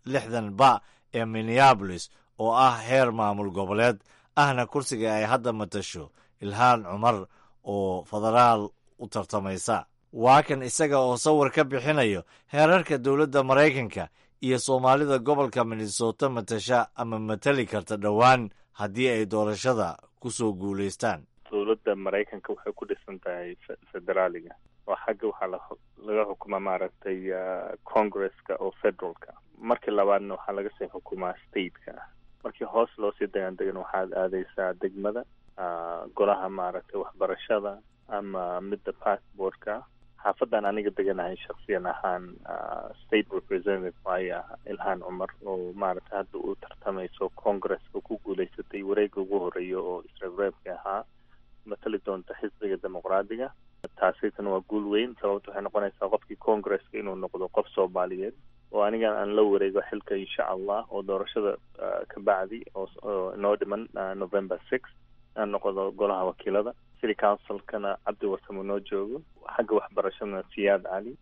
60 ba ee Minneabolis oo ah heer maamul goboleed, ahna kursiga ay hadda matasho Ilhaan Cumar oo federaal u tartamaysa. Waa kan isaga oo sawir ka bixinayo heerarka dowladda Maraykanka iyo Soomaalida gobolka Minnesota matasha ama matali karta dhowaan haddii ay doorashada ku soo guulaystaan. Dowladda Maraykanka waxay ku dhisan tahay federaaliga oo xagga waxaa laga xukumaa maaragtay congresska oo federalka. Markii labaadna waxaa laga sii xukumaa stateka. Markii hoos loo sii degaan degan waxaad aadaysaa degmada, golaha maaragtay waxbarashada ama midda passportka. Xaafadan aniga deganahay shaksiyan ahaan state representative waaya Ilhaan Cumar oo maaragtay hadda uu tartamayso congresska, ku guulaysatay wareegga ugu horeeya oo isreebreebka ahaa, matali doonta xisbiga Dimuqraadiga. Taasitana waa guul weyn, sababta waxay noqonaysaa qofkii congresska inuu noqdo qof Soomaaliyeed oo anigan aan la wareego xilka insha Allah oo doorashada ka bacdi oo inoo dhiman November 6 aan noqdo golaha wakiilada. City councilkana Cabdi Warsamo noo joogo, xagga waxbarashadana Siyaad Cali,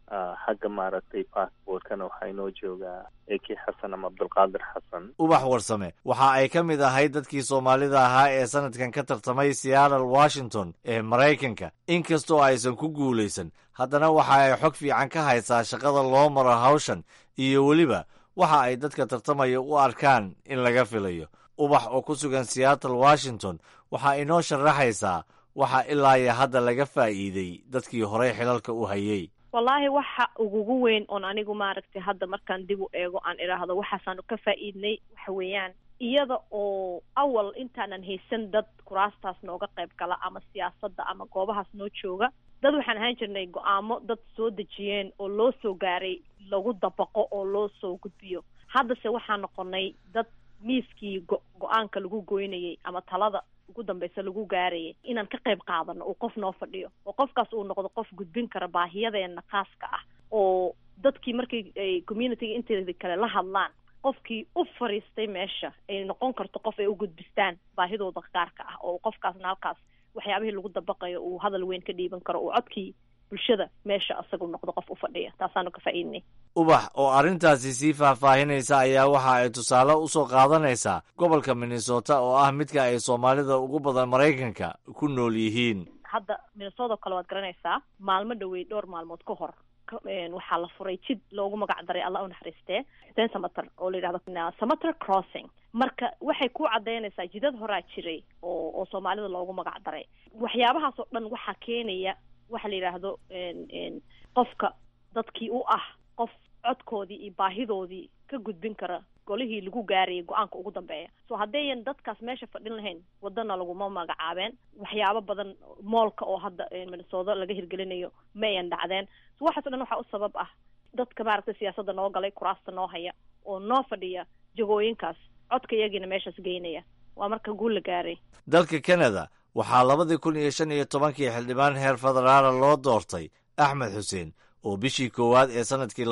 xagga maaragtay passportkana waxaa inoo joogaa AK Xasan ama Cabdulqaadir Xasan. Ubax Warsame waxa ay ka mid ahayd dadkii Soomaalida ahaa ee sannadkan ka tartamay Seattle, Washington ee Maraykanka. Inkastoo aysan ku guulaysan, haddana waxa ay xog fiican ka haysaa shaqada loo maro hawshan iyo weliba waxa ay dadka tartamaya u arkaan in laga filayo. Ubax oo ku sugan Seattle, Washington, waxaa inoo sharaxaysaa waxa ilaa iyo hadda laga faa'iiday dadkii horey xilalka u hayay. Wallaahi, waxa ugugu weyn oon anigu maaragtay hadda markaan dib u eego aan idhaahdo waxaasaanu ka faa'iidnay, waxa weeyaan iyada oo awal intaanan haysan dad kuraastaas nooga qayb gala ama siyaasadda ama goobahaas noo jooga, dad waxaan ahaan jirnay go-aamo dad soo dejiyeen oo loo soo gaaray lagu dabaqo oo loo soo gudbiyo. Haddase waxaan noqonay dad miiskii go-aanka lagu goynayay ama talada ugu dambeysa lagu gaarayay inaan ka qayb qaadano, uu qof noo fadhiyo oo qofkaas uu noqdo qof gudbin kara baahiyadeena khaaska ah, oo dadkii markii ay communityga inteeda kale la hadlaan, qofkii u fariistay meesha ay noqon karto qof ay u gudbistaan baahidooda gaarka ah, oo qofkaasna halkaas waxyaabihii lagu dabaqayo uu hadal weyn ka dhiiban karo, uu codkii bulshada meesha asagu noqdo qof u fadhiya. Taasaanu ka faa'iidnay. Ubax oo arrintaasi sii faahfaahinaysa ayaa waxa ay tusaale u soo qaadanaysaa gobolka Minnesota oo ah midka ay Soomaalida ugu badan Maraykanka ku nool yihiin. Hadda Minnesota kale waad garanaysaa, maalmo dhawey, dhowr maalmood ka hor, waxaa la furay jid loogu magac daray, Allah u naxariistee, Xuseen Samater, oo la yidhahdo Samater Crossing. Marka waxay ku caddaynaysaa jidad horaa jiray oo Soomaalida loogu magac daray. Waxyaabahaas oo dhan waxaa keenaya waxa la yidhaahdo qofka dadkii u ah qof codkoodii iyo baahidoodii ka gudbin kara golihii lagu gaarayay go-aanka ugu dambeeya. So haddayan dadkaas meesha fadhin lahayn, wadana laguma magacaabeen, waxyaabo badan, mallka oo hadda Minnesota laga hirgelinayo ma ayan dhacdeen. So waxaas o dhan waxaa u sabab ah dadka maaragtay siyaasadda noo galay, kuraasta noo haya oo noo fadhiya jagooyinkaas, codka iyagiina meeshaas geynaya. Waa marka guul la gaaray. Dalka Canada waxaa 2015-kii xildhibaan heer federaala loo doortay Axmed Xuseen, oo bishii koowaad ee sannadkii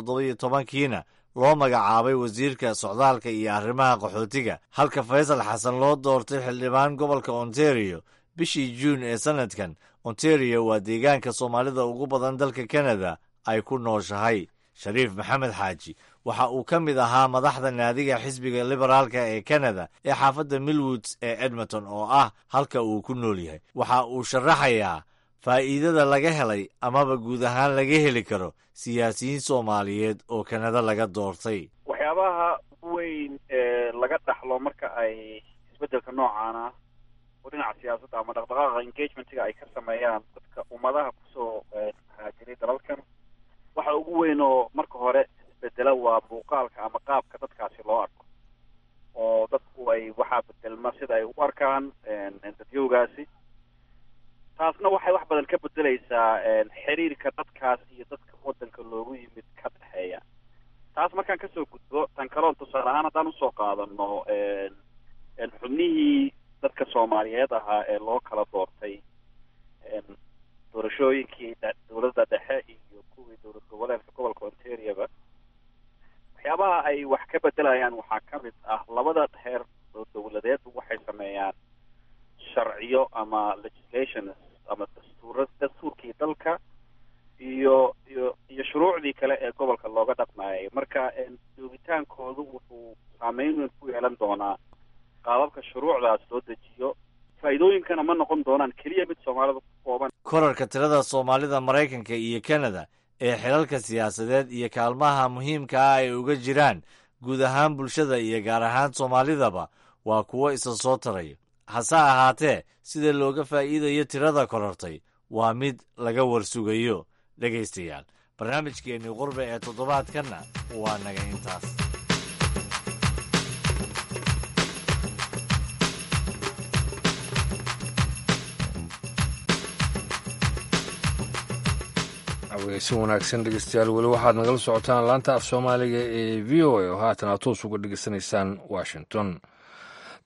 2017-kiina loo magacaabay wasiirka socdaalka iyo arrimaha qaxootiga, halka Faysal Xasan loo doortay xildhibaan gobolka Ontario bishii Juun ee sannadkan. Ontario waa deegaanka Soomaalida ugu badan dalka Canada ay ku nooshahay. Shariif Maxamed Xaaji waxa uu ka mid ahaa madaxda naadiga xisbiga Liberaalka ee Canada ee xaafadda Millwoods ee Edmonton, oo ah halka uu ku nool yahay. Waxa uu sharaxayaa faa'iidada laga helay amaba guud ahaan laga heli karo siyaasiyiin Soomaaliyeed oo Kanada laga doortay. Waxyaabaha ugu weyn ee laga dhaxlo marka ay isbeddelka noocan ah oo dhinaca siyaasadda ama dhaqdhaqaaqa engagementiga ay ka sameeyaan dadka ummadaha kusoo haajiray dalalkan, waxa ugu weyn oo marka hore isbedela waa muuqaalka ama qaabka dadkaasi loo arko, oo dadku ay waxaa bedelma sida ay u arkaan dadyowgaasi. Taasna waxay wax badan ka bedelaysaa xiriirka dadkaas iyo dadka waddanka loogu yimid ka dhexeeya. Taas markaan kasoo gudbo, tan kaloon tusaale ahaan haddaan usoo qaadano xubnihii dadka Soomaaliyeed ahaa ee loo kala doortay doorashooyinkii dowladda dhexe iyo kuwii dowlad goboleedka gobolka Ontarioba, waxyaabaha ay wax ka bedelayaan waxaa ka mid ah labada heer oo dowladeed waxay sameeyaan sharciyo ama legislations ama dastuura, dastuurkii dalka iyo shuruucdii kale ee gobolka looga dhaqmayay. Marka joogitaankoodu wuxuu saameyn weyn ku yeelan doonaa qaababka shuruucdaas loo dejiyo. Faa'iidooyinkana ma noqon doonaan keliya mid Soomaalida ku kooban. Korarka tirada Soomaalida Maraykanka iyo Kanada ee xilalka siyaasadeed iyo kaalmaha muhiimka ah ay uga jiraan guud ahaan bulshada iyo gaar ahaan Soomaalidaba waa kuwo isa soo taraya. Hase ahaatee, sida looga faa'iidayo tirada korortay waa mid laga warsugayo. Dhegaystayaal, barnaamijkeennii qurbe ee toddobaadkanna waa naga intaas. Aweysi wanaagsan dhegeystayaal, weli waxaad nagala socotaan laanta af Soomaaliga ee VOA oo haatan aad toos uga dhegeysanaysaan Washington.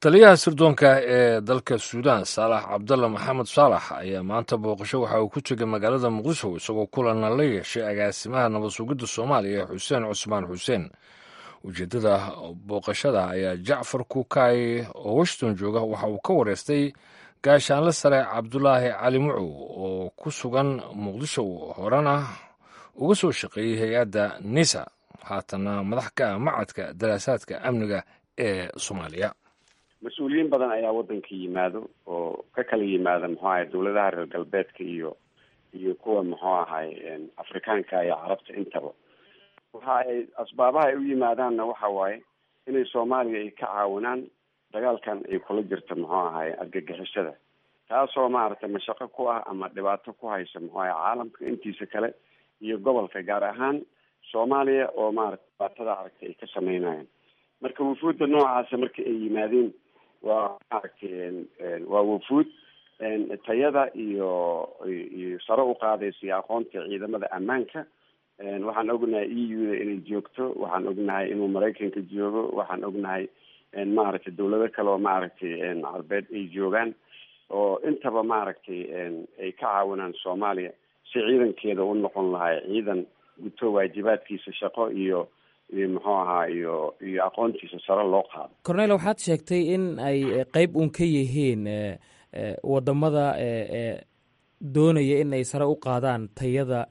Taliyaha sirdoonka ee dalka Suudaan, Saalax Cabdalla Maxamed Saalax, ayaa maanta booqasho waxa uu ku tegay magaalada Muqdisho, isagoo kulanna la yeeshay agaasimaha nabad sugidda Soomaaliya, Xuseen Cusmaan Xuseen. Ujeeddada booqashada ayaa Jacfar Kukaay oo Washington jooga waxa uu ka wareystay gaashaanle sare Cabdulaahi Cali Mucow oo ku sugan Muqdisho, horena uga soo shaqeeyey hay-adda NISA, haatanna madax ka ah macadka daraasaadka amniga ee Soomaaliya. Mas-uuliyiin badan ayaa waddanka yimaado oo ka kala yimaada, muxuu ahay, dawladaha reer galbeedka iyo kuwa, muxuu ahay, Afrikaanka iyo Carabta intaba. Waxa ay asbaabaha ay u yimaadaanna waxa waaye inay Soomaaliya ay ka caawinaan dagaalkan ay kula jirto, muxuu ahay, argagixisada, taasoo maaragtay mashaqo ku ah ama dhibaato ku haysa, muxuu ahay, caalamka intiisa kale. iyo gobolka, gaar ahaan Soomaaliya oo maaragtay dhibaatada aragtay ay ka sameynayaan. Marka wufuudda noocaasa marka ay yimaadeen, waa maaragtay waa wufuud tayada iyo sare u qaadaysa iyo aqoonta ciidamada ammaanka. Waxaan ognahay EU da inay joogto, waxaan ognahay inuu Maraykanka joogo, waxaan ognahay maaragtay dawlado kale oo maaragtay Carbeed ay joogaan, oo intaba maaragtay ay ka caawinaan Soomaaliya si ciidankeeda u noqon lahay ciidan guto waajibaadkiisa shaqo iyo muxuu ahaa iyo aqoontiisa sare loo qaado. Cornel, waxaad sheegtay in ay qeyb uun ka yihiin wadamada doonaya in ay sare u qaadaan tayada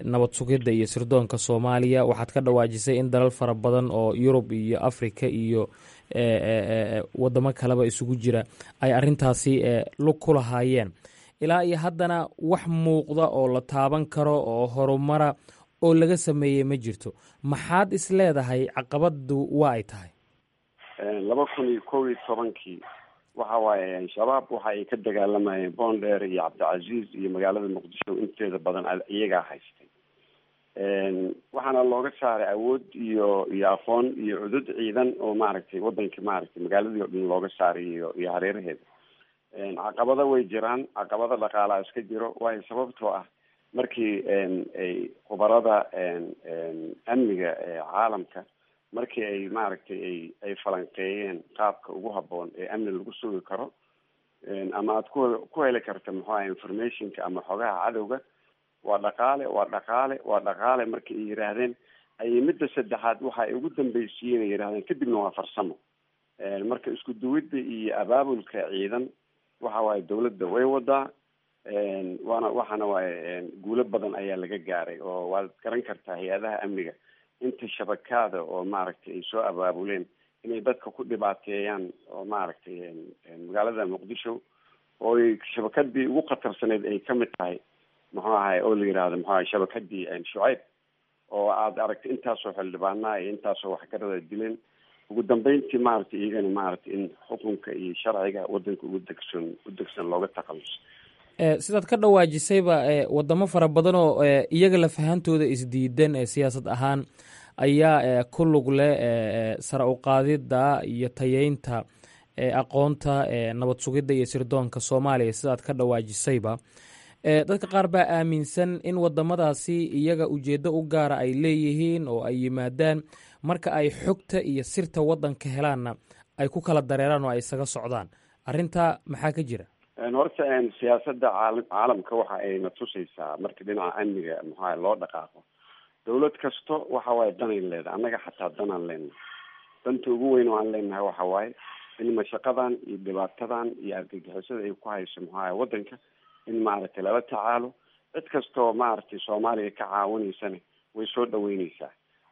nabad sugidda iyo sirdoonka Soomaaliya. Waxaad ka dhawaajisay in dalal fara badan oo Yurub iyo Africa iyo wadamo kaleba isugu jira ay arrintaasi lug ku lahaayeen. Ilaa iyo haddana wax muuqda oo la taaban karo oo horumara oo laga sameeyey ma jirto. Maxaad is leedahay caqabadu waa ay tahay? 2011-kii waxa waaye Shabaab waxa ay ka dagaalamayeen Boondheer iyo Cabdicasiis iyo magaalada Muqdisho inteeda badan iyagaa haystay. Waxaana looga saaray awood iyo aqoon iyo cudud ciidan oo maaragtay wadanka maaragtay magaaladii o dhan looga saaray iyo hareeraheeda. Caqabado way jiraan, caqabado dhaqaalaa iska jiro, waayo sababtoo ah markii ay khubarada amniga caalamka markii ay maaragtay ay falanqeeyeen qaabka ugu habboon ee amni lagu sugi karo ama aad ku heli karta muxuu aha informationka ama xogaha cadowga, waa dhaqaale, waa dhaqaale, waa dhaqaale. Markii ay yidhaahdeen ayay midda saddexaad waxa ay ugu dambaysiiyeen ay yidhahdeen kadibna waa farsamo. Marka isku duwidda iyo abaabulka ciidan waxa waaye dawladda way wadaa, waana waxaana waaye guulo badan ayaa laga gaaray, oo waad garan kartaa hay-adaha amniga inta shabakaada oo maaragtay ay soo abaabuleen inay dadka ku dhibaateeyaan oo maaragtay magaalada Muqdisho oo ay shabakadii ugu khatarsaneyd ay kamid tahay, muxuu ahay, oo la yidhaahdo muxuu ahay shabakadii Shucayb, oo aad aragtay intaasoo xildhibaanaa iyo intaasoo waxgarada dileen. Ugu dambeyntii maaragtay iyagana maaragtay in xukunka iyo sharciga wadanka ugu degsan u degsan looga takhaluso. Sidaad ka dhawaajisayba, wadamo fara badan oo iyaga lafahantooda isdiidan siyaasad ahaan ayaa ku lug leh sare u qaadidda iyo tayeynta aqoonta nabad sugidda iyo sirdoonka Soomaaliya. Sidaad ka dhawaajisayba, dadka qaar baa aaminsan in wadamadaasi iyaga ujeeddo u gaara ay leeyihiin oo ay yimaadaan, marka ay xogta iyo sirta waddanka helaanna ay ku kala dareeraan oo ay isaga socdaan. Arrintaa maxaa ka jira? Horta siyaasadda caalamka waxa ayna tusaysaa marka dhinaca amniga muxuaha loo dhaqaaqo, dawlad kasto waxa waaye danay leedahay. Annaga xataa danaan leenahay. Danta ugu weyn oo aan leenahay waxa waaye in mashaqadan iyo dhibaatadan iyo argagixisada ay ku hayso muxuaha waddanka in maaragtay lala tacaalo. Cid kastoo maaragtay Soomaaliya ka caawinaysana way soo dhaweyneysaa,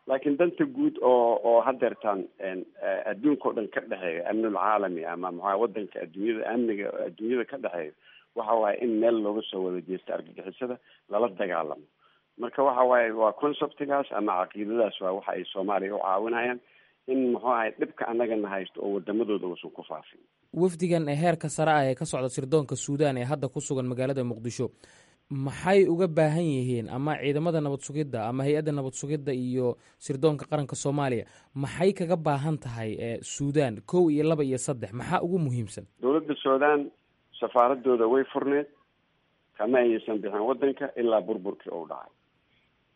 laakiin danta guud oo hadeertaan adduunka o dhan ka dhexeeyo, amnul caalami ama maxaa wadanka adduunyada amniga adduunyada ka dhexeeyo, waxa waaye in meel looga soo wada jeesto argagixisada lala dagaalamo. Marka waxa waaye waa conceptigaas ama caqiidadaas waa waxa ay Soomaaliya u caawinayaan in muxuu ahay dhibka annagana haysto oo wadamadooda uusan ku faafin. Wafdigan heerka sare ah ee ka socda sirdoonka Suudaan ee hadda ku sugan magaalada Muqdisho maxay uga baahan yihiin, ama ciidamada nabad sugidda ama hay-adda nabad sugidda iyo sirdoonka qaranka Soomaaliya maxay kaga baahan tahay Suudaan? Kow iyo laba iyo saddex, maxaa ugu muhiimsan? Dowladda Suudaan safaaradooda way furneed, kama aysan bixin wadanka ilaa burburkii uu dhacay.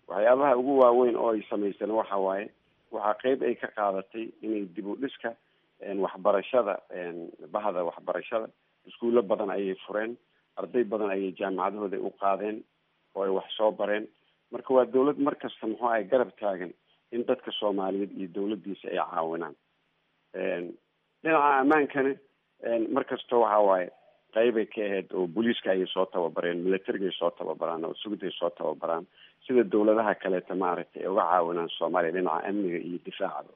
Waxyaabaha ugu waaweyn oo ay samayseen waxa waaye waxaa qeyb ay ka qaadatay inay dib u dhiska waxbarashada, bahda waxbarashada, iskuullo badan ayay fureen, arday badan ayay jaamacadahooda u qaadeen oo ay wax soo bareen. Marka waa dawlad mar kasta muxuu ahay garab taagan in dadka Soomaaliyeed iyo dawladdiisa ay caawinaan. Dhinaca ammaankana mar kasta waxa waaye qeybay ka ahayd oo booliiska ayay soo tababareen, militarigaay soo tababaraan oo sugidday soo tababaraan, sida dawladaha kaleeta maaragtay ay uga caawinaan Soomaaliya dhinaca amniga iyo difaacaba.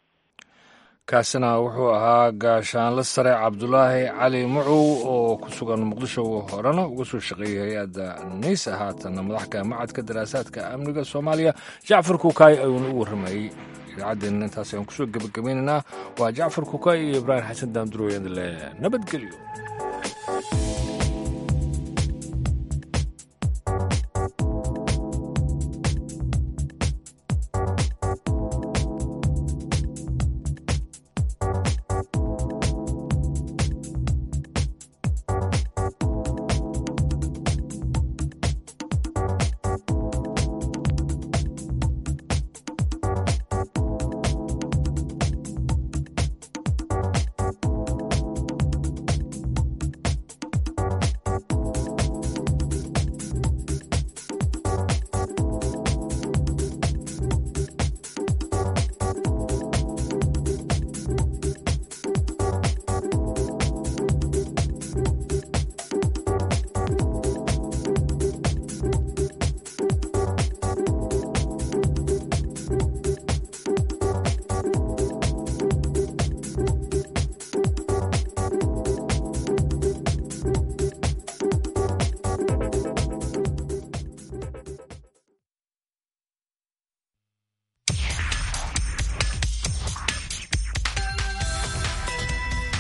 Kaasina wuxuu ahaa gaashaanle sare Cabdulaahi Cali Mucow oo ku sugan Muqdisho, horena uga soo shaqeeyey hay-adda NISA, haatanna madaxka macadka daraasaadka amniga Soomaaliya. Jacfar Kukaay ayuuna u warramayey. Idaacaddeena intaas ayaan kusoo gebagabaynaynaa. Waa Jacfar Kukaay iyo Ibraahim Xasan Daamduroyadle, nabadgelyo.